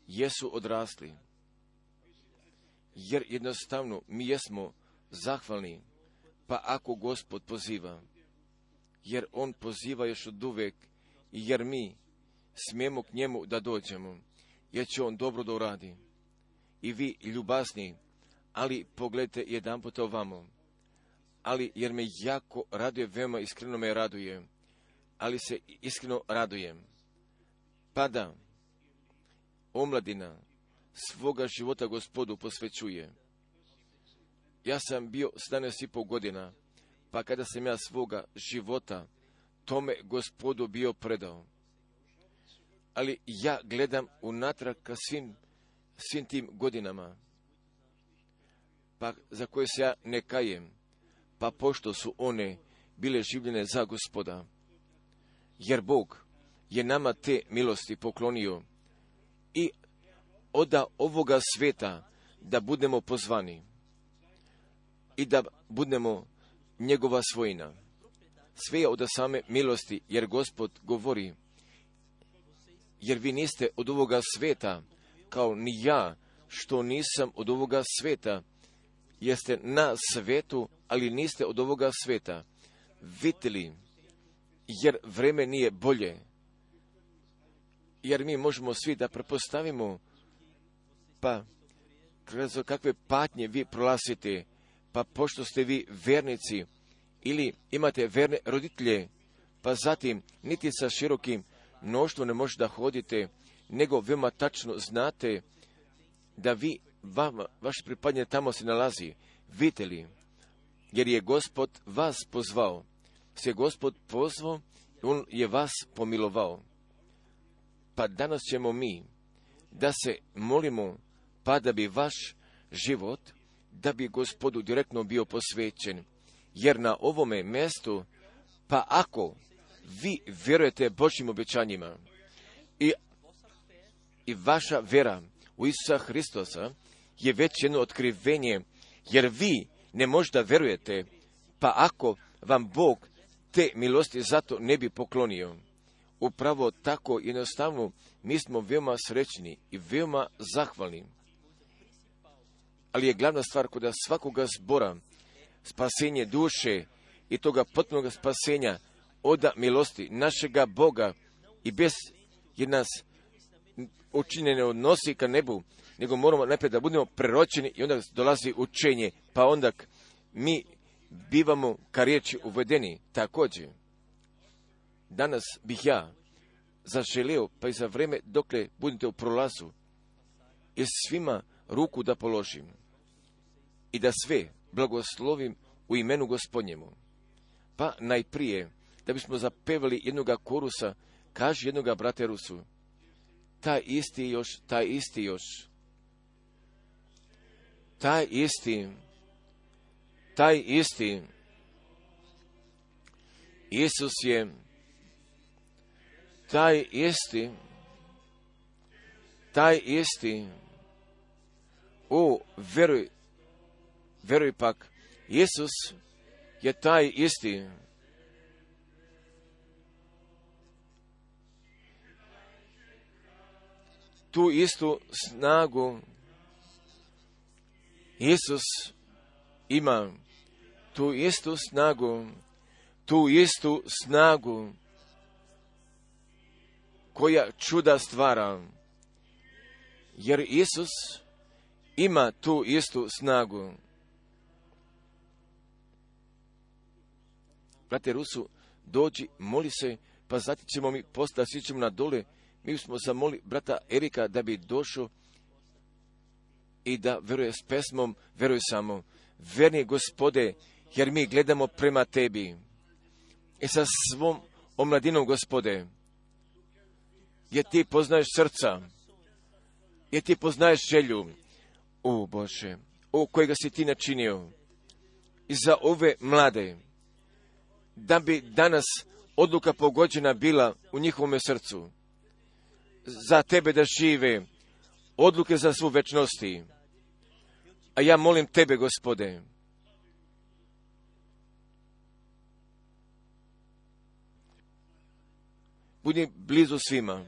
jesu odrasli. Jer jednostavno mi jesmo zahvalni, pa ako Gospod poziva, jer On poziva još od uvek, jer mi smijemo k njemu da dođemo, jer će On dobro da uradi. I vi ljubazni, ali pogledajte jedan put ovamo, ali jer me jako raduje, veoma iskreno me raduje, ali se iskreno radujem. Pa da omladina svoga života Gospodu posvećuje Ja sam bio sedamnaest i pol godina, pa kada sam ja svoga života tome Gospodu bio predao. Ali ja gledam unatrag ka svim, svim tim godinama, pa za koje se ja ne kajem, pa pošto su one bile življene za Gospoda. Jer Bog je nama te milosti poklonio i oda ovoga sveta da budemo pozvani i da budemo njegova svojina. Sve je od same milosti, jer Gospod govori, jer vi niste od ovoga sveta, kao ni ja, što nisam od ovoga sveta. Jeste na svetu, ali niste od ovoga sveta. Vidite li, jer vreme nije bolje. Jer mi možemo svi da prepostavimo, pa kroz kakve patnje vi prolazite, pa pošto ste vi vernici, ili imate verne roditelje, pa zatim niti sa širokim mnoštvom ne možete da hodite, nego veoma tačno znate da vi, vama, vaš pripadnje tamo se nalazi. Vidite li, jer je Gospod vas pozvao, se Gospod pozvao, on je vas pomilovao. Pa danas ćemo mi da se molimo, pa da bi vaš život, da bi Gospodu direktno bio posvećen. Jer na ovome mjestu, pa ako vi vjerujete Božjim obećanjima i, i vaša vera u Isusa Hristosa je već jedno otkrivenje, jer vi ne možda verujete, pa ako vam Bog te milosti zato ne bi poklonio. Upravo tako jednostavno mi smo veoma srećni i veoma zahvalni. Ali je glavna stvar kod svakoga zbora spasenje duše i toga potpunog spasenja od milosti našega Boga i bez jer nas učinjene odnosi ka nebu, nego moramo najprije da budemo preročeni i onda dolazi učenje, pa onda mi bivamo ka riječi uvedeni. Također, danas bih ja zaželio, pa i za vreme dokle budete u prolazu, i svima ruku da položim i da sve blagoslovim u imenu Gospodnjemu. Pa najprije, da bismo zapevali jednoga korusa, kaže jednoga brate Rusu, taj isti još, taj isti još, taj isti, taj isti, Isus je, taj isti, taj isti, o, veruj, veruj pak, Isus je taj isti. Tu istu snagu Isus ima, tu istu snagu, tu istu snagu koja čuda stvara, jer Isus ima tu istu snagu. Brate Rusu, dođi, moli se, pa zatim ćemo mi postati, svi ćemo na dole. Mi smo zamoli brata Erika da bi došao i da veruje s pesmom, veruj samo, verni Gospode, jer mi gledamo prema tebi. I sa svom omladinom, Gospode, jer ti poznaješ srca, jer ti poznaješ želju, o Bože, o kojega si ti načinio, i za ove mlade, da bi danas odluka pogođena bila u njihovom srcu, za tebe da žive, odluke za svu večnosti. A ja molim tebe, Gospode, budi blizu svima,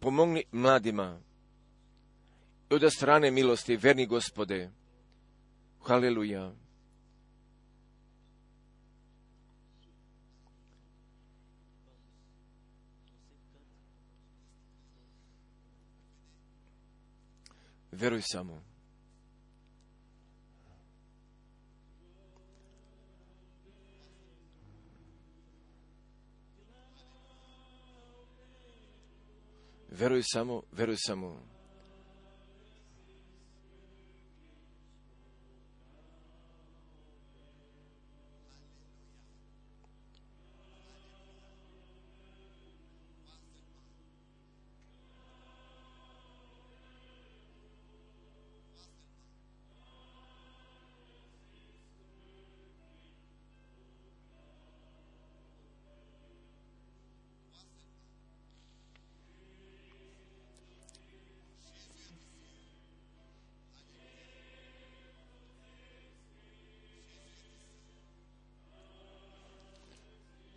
pomogni mladima i od strane milosti, verni Gospode. Haleluja. Veruj samo. Veruj samo, veruj samo.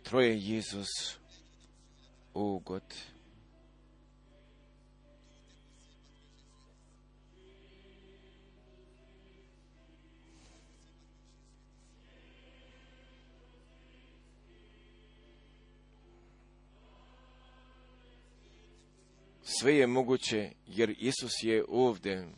Treue Jesus, o Gott. Sve je moguće jer Isus je ovdje.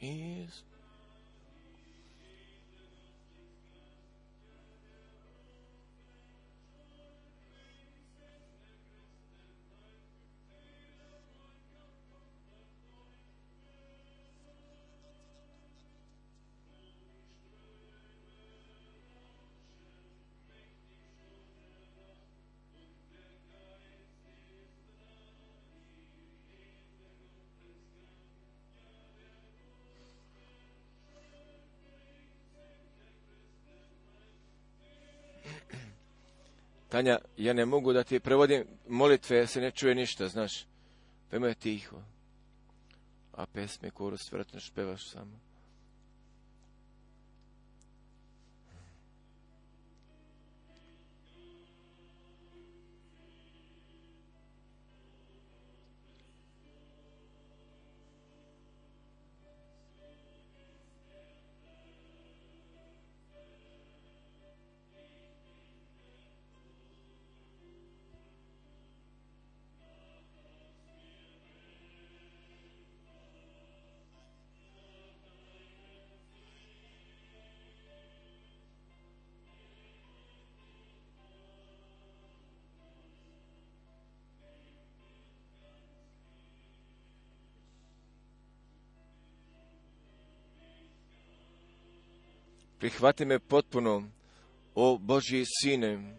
is. Tanja, ja ne mogu da ti prevodim molitve, se ne čuje ništa, znaš. Veoma je tiho. A pesme, korus, vjerojatno špevaš samo. Prihvati me potpuno, o Božji Sine.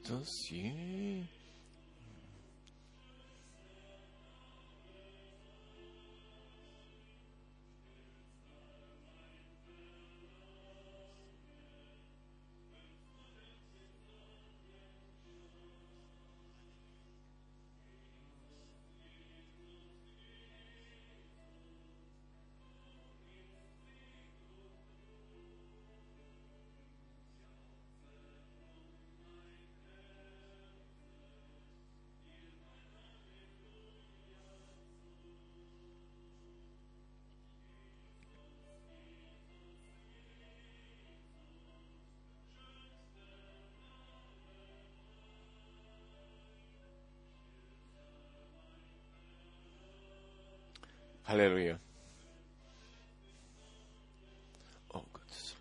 To si... Haleluja. Oh Gott.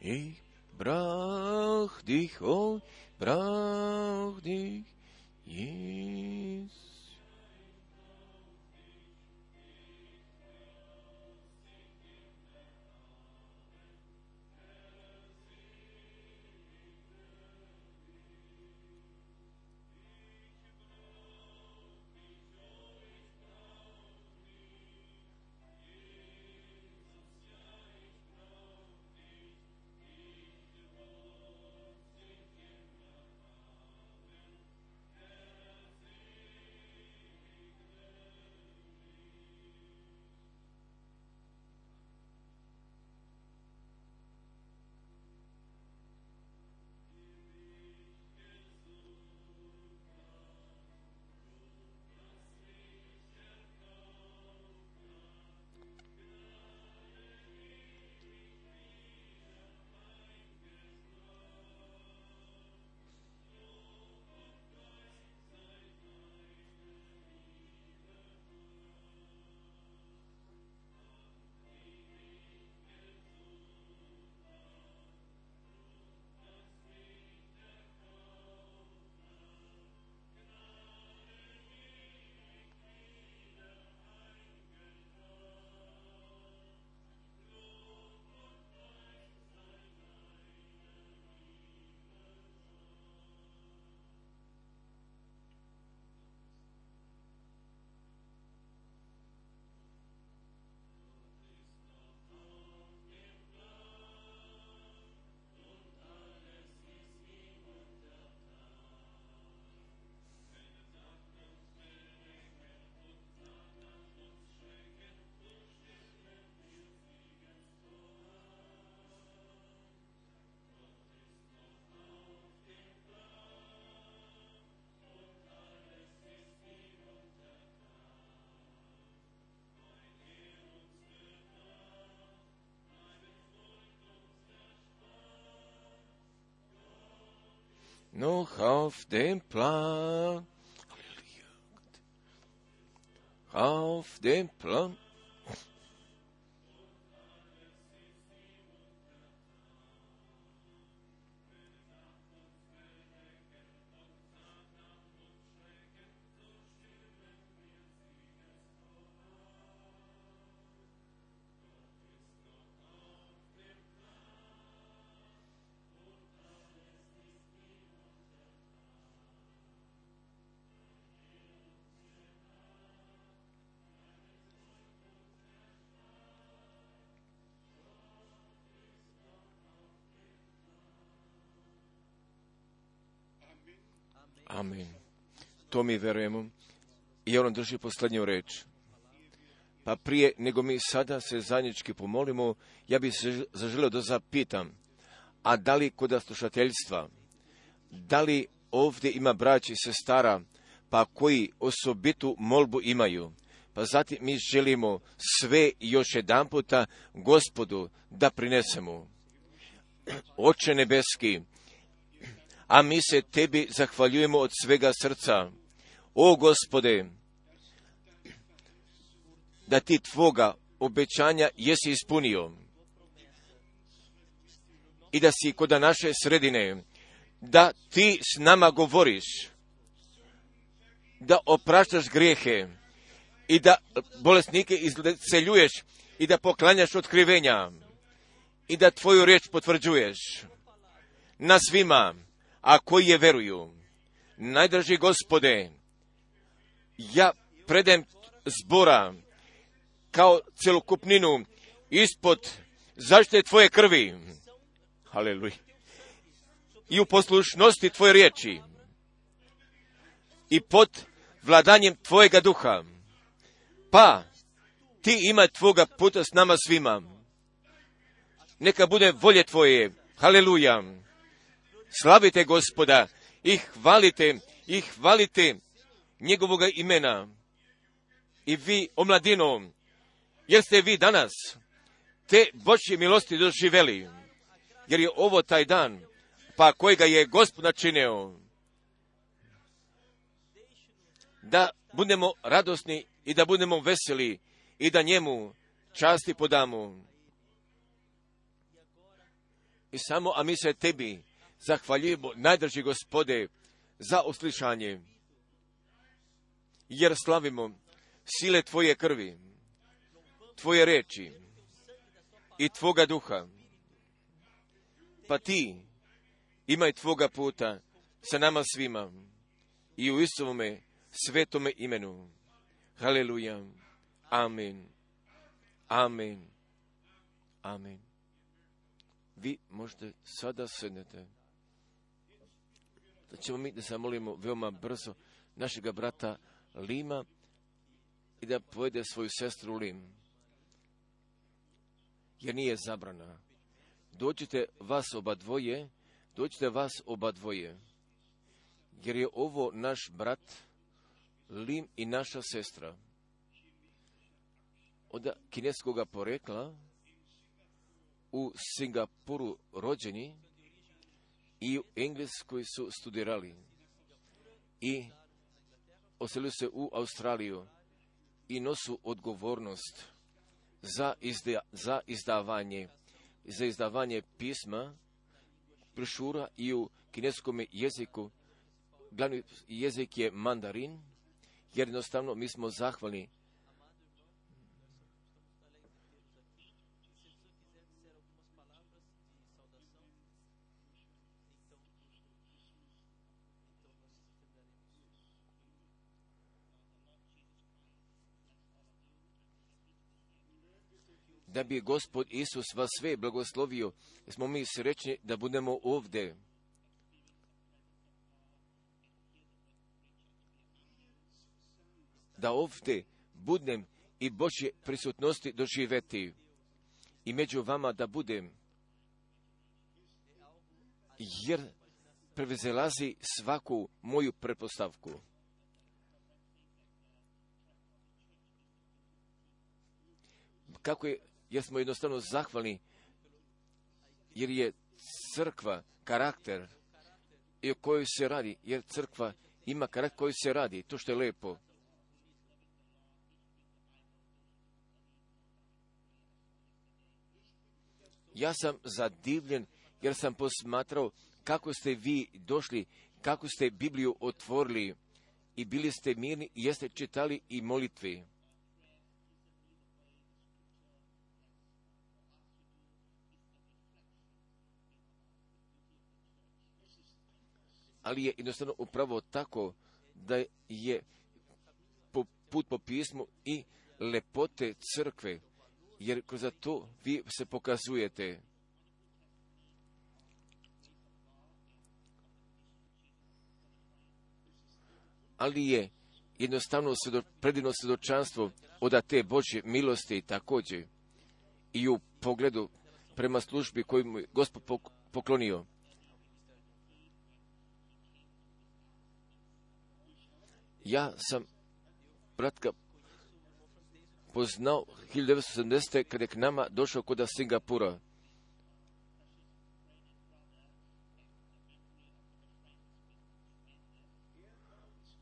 Ich brauch dich, oh, brauch dich, Jesus. Noch auf dem Plan, auf dem Plan, amen. To mi verujemo. I on drži posljednju reč. Pa prije nego mi sada se zajednički pomolimo, ja bih se zaželio da zapitam, a da li kod slušateljstva, da li ovdje ima braća i sestara, pa koji osobitu molbu imaju? Pa zatim mi želimo sve još jedan puta Gospodu da prinesemo. Oče nebeski, a mi se tebi zahvaljujemo od svega srca. O Gospode, da ti tvoga obećanja jesi ispunio i da si kod naše sredine, da ti s nama govoriš, da opraštaš grijehe i da bolesnike izceljuješ i da poklanjaš otkrivenja i da tvoju riječ potvrđuješ na svima, a koji je veruju. Najdraži Gospode, ja predajem zbora kao celokupninu ispod zaštite tvoje krvi. Haleluja. I u poslušnosti tvoje riječi i pod vladanjem tvojega duha. Pa ti ima tvoga puta s nama svima. Neka bude volje tvoje. Haleluja. Slavite Gospoda i hvalite, i hvalite njegovoga imena. I vi, omladino, jer ste vi danas te Božje milosti doživeli, jer je ovo taj dan, pa kojega je Gospod načinio, da budemo radosni i da budemo veseli i da njemu časti podamo. I samo, a mi se tebi zahvaljujemo, najdrži Gospode, za uslišanje, jer slavimo sile tvoje krvi, tvoje reči i tvoga duha. Pa ti imaj tvoga puta sa nama svima i u Isovome svetome imenu. Haleluja. Amen. Amen. Amen. Vi možete sada sednete. Da ćemo mi da se molimo veoma brzo našega brata Lima i da povede svoju sestru Lim. Jer nije zabrana. Dođite vas oba dvoje, dođite vas oba dvoje. Jer je ovo naš brat Lim i naša sestra. Od kineskoga porekla, u Singapuru rođeni i u Engleskoj su studirali i oselili se u Australiju i nosu odgovornost za, izda, za izdavanje za izdavanje pisma, brošura i u kineskom jeziku. Glavni jezik je mandarin, jer jednostavno mi smo zahvalni. Da bi Gospod Isus vas sve blagoslovio, smo mi srećni da budemo ovdje. Da ovdje budem i Božje prisutnosti doživeti i među vama da budem, jer prevezelazi svaku moju pretpostavku. Kako je, jer smo jednostavno zahvalni, jer je crkva karakter i o kojoj se radi, jer crkva ima karakter koji se radi, to što je lepo. Ja sam zadivljen jer sam posmatrao kako ste vi došli, kako ste Bibliju otvorili i bili ste mirni i jeste čitali i molitve. Ali je jednostavno upravo tako da je put po pismu i lepote crkve, jer kroz to vi se pokazujete. Ali je jednostavno predivno svjedočanstvo od te Božje milosti također i u pogledu prema službi koju mu je Gospod poklonio. Ja sam bratka poznao hiljadu devetsto sedamdesete kada je k nama došao kod Singapura.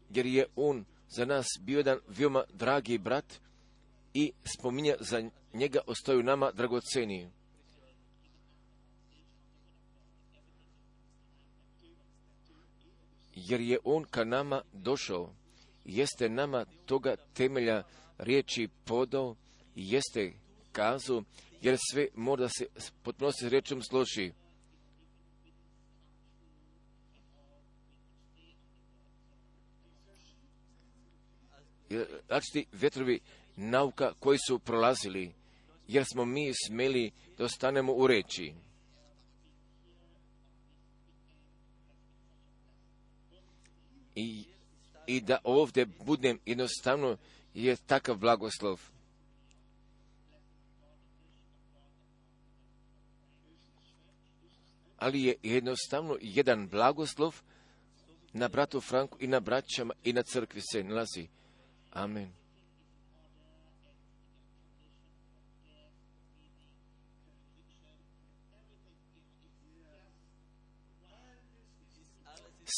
Jer je on za nas bio jedan veoma dragi brat i spominja za njega ostaju nama dragoceni. Jer je on ka nama došao, jeste nama toga temelja riječi podao i jeste kazao, jer sve mora da se potpuno se riječom složi. Različiti vjetrovi nauka koji su prolazili, jer smo mi smeli da ostanemo u reči. I, i da ovdje budem jednostavno je takav blagoslov. Ali je jednostavno jedan blagoslov na bratu Franku i na braćama i na crkvi se nalazi. Amen.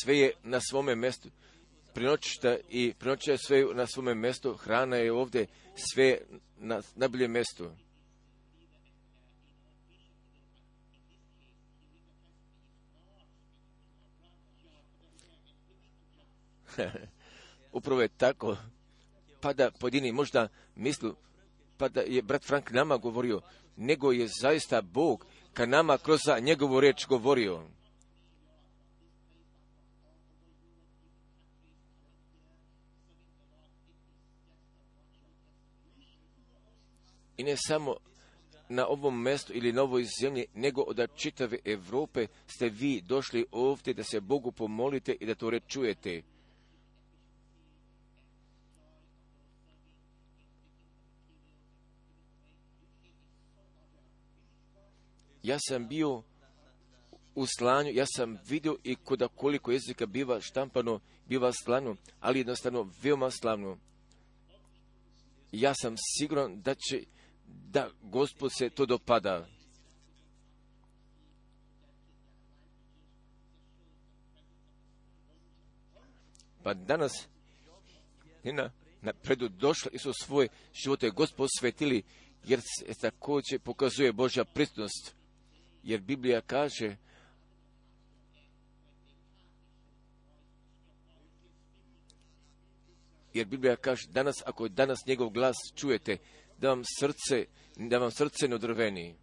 Sve je na svome mjestu. Prinoćišta i prinoća je sve na svome mjestu. Hrana je ovdje sve na najboljem mjestu. Upravo je tako. Pa da pojedini možda mislu, pa da je brat Frank nama govorio, nego je zaista Bog ka nama kroz njegovu riječ govorio. I ne samo na ovom mjestu ili na ovoj zemlji, nego od čitave Europe ste vi došli ovdje da se Bogu pomolite i da to reč čujete. Ja sam bio u slanju, ja sam vidio i kuda koliko jezika biva štampano, biva slano, ali jednostavno veoma slavno. Ja sam siguran da će, da Gospod se to dopada. Pa danas na, na predu došli i su svoje živote Gospod svetili, jer se također pokazuje Božja prisutnost. Jer Biblija kaže, jer Biblija kaže, danas, ako danas njegov glas čujete, da vam srce, da vam srce ne odrveni.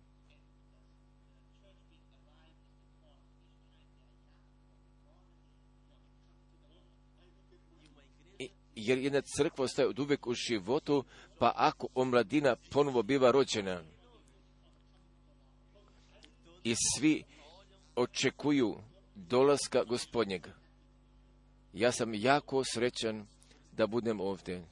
I, jer jedna crkva ostaje od uvijek u životu, pa ako omladina ponovo biva rođena, i svi očekuju dolaska Gospodnjega. Ja sam jako srećan da budem ovdje.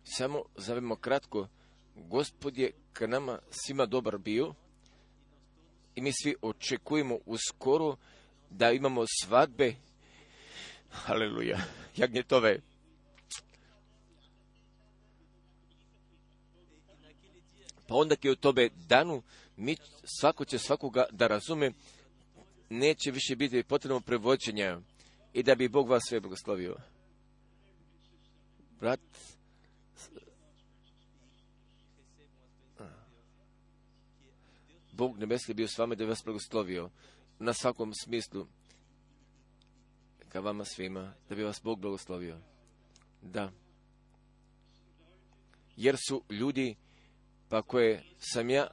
Samo zavemo kratko, Gospod je k nama svima dobar bio i mi svi očekujemo uskoro da imamo svadbe. Haleluja, jagnjetove. Pa onda je u tobe danu, mi, svako će svakoga da razume, neće više biti potrebno prevođenja i da bi Bog vas sve blagoslovio. Brat, Bog nebesni bio s vama da bi vas blagoslovio na svakom smislu. Ka vama svima, da bi vas Bog blagoslovio. Da. Jer su ljudi, pa koje sam ja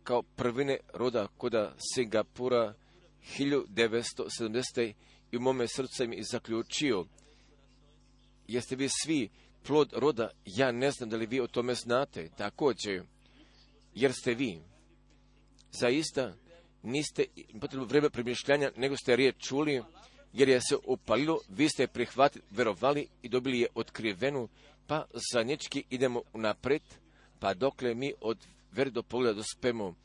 kao prvine roda koda Singapura hiljadu devetsto sedamdesete i u mome srcu im i zaključio. Jeste vi svi plod roda, ja ne znam da li vi o tome znate, također, jer ste vi. Zaista niste potrebno vreme premišljanja, nego ste riječ čuli, jer je se upalilo, vi ste prihvatili, verovali i dobili je otkrivenu, pa zanječki idemo napred, pa dokle mi od vere do pogleda dospemo.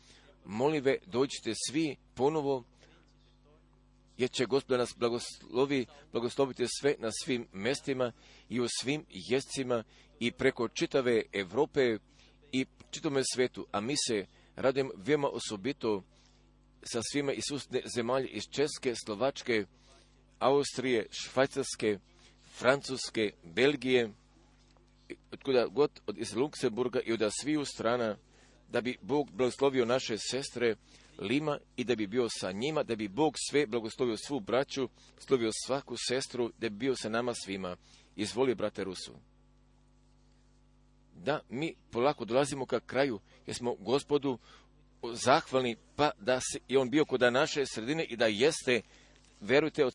Molive, dođite svi ponovo, jer će Gospod nas blagoslovi, blagosloviti sve na svim mjestima i u svim jezicima i preko čitave Europe i čitome svetu, a mi se radujemo veoma osobito sa svima iz susjedne zemalje, iz Česke, Slovačke, Austrije, Švajcarske, Francuske, Belgije, otkuda god, od iz Luksemburga i od sviju strana, da bi Bog blagoslovio naše sestre Lima i da bi bio sa njima, da bi Bog sve blagoslovio svu braću, slovio svaku sestru, da bi bio sa nama svima. Izvoli, brate Rusu. Da, mi polako dolazimo ka kraju, jer smo Gospodu zahvalni, pa da se, je on bio kod naše sredine i da jeste, verujte, od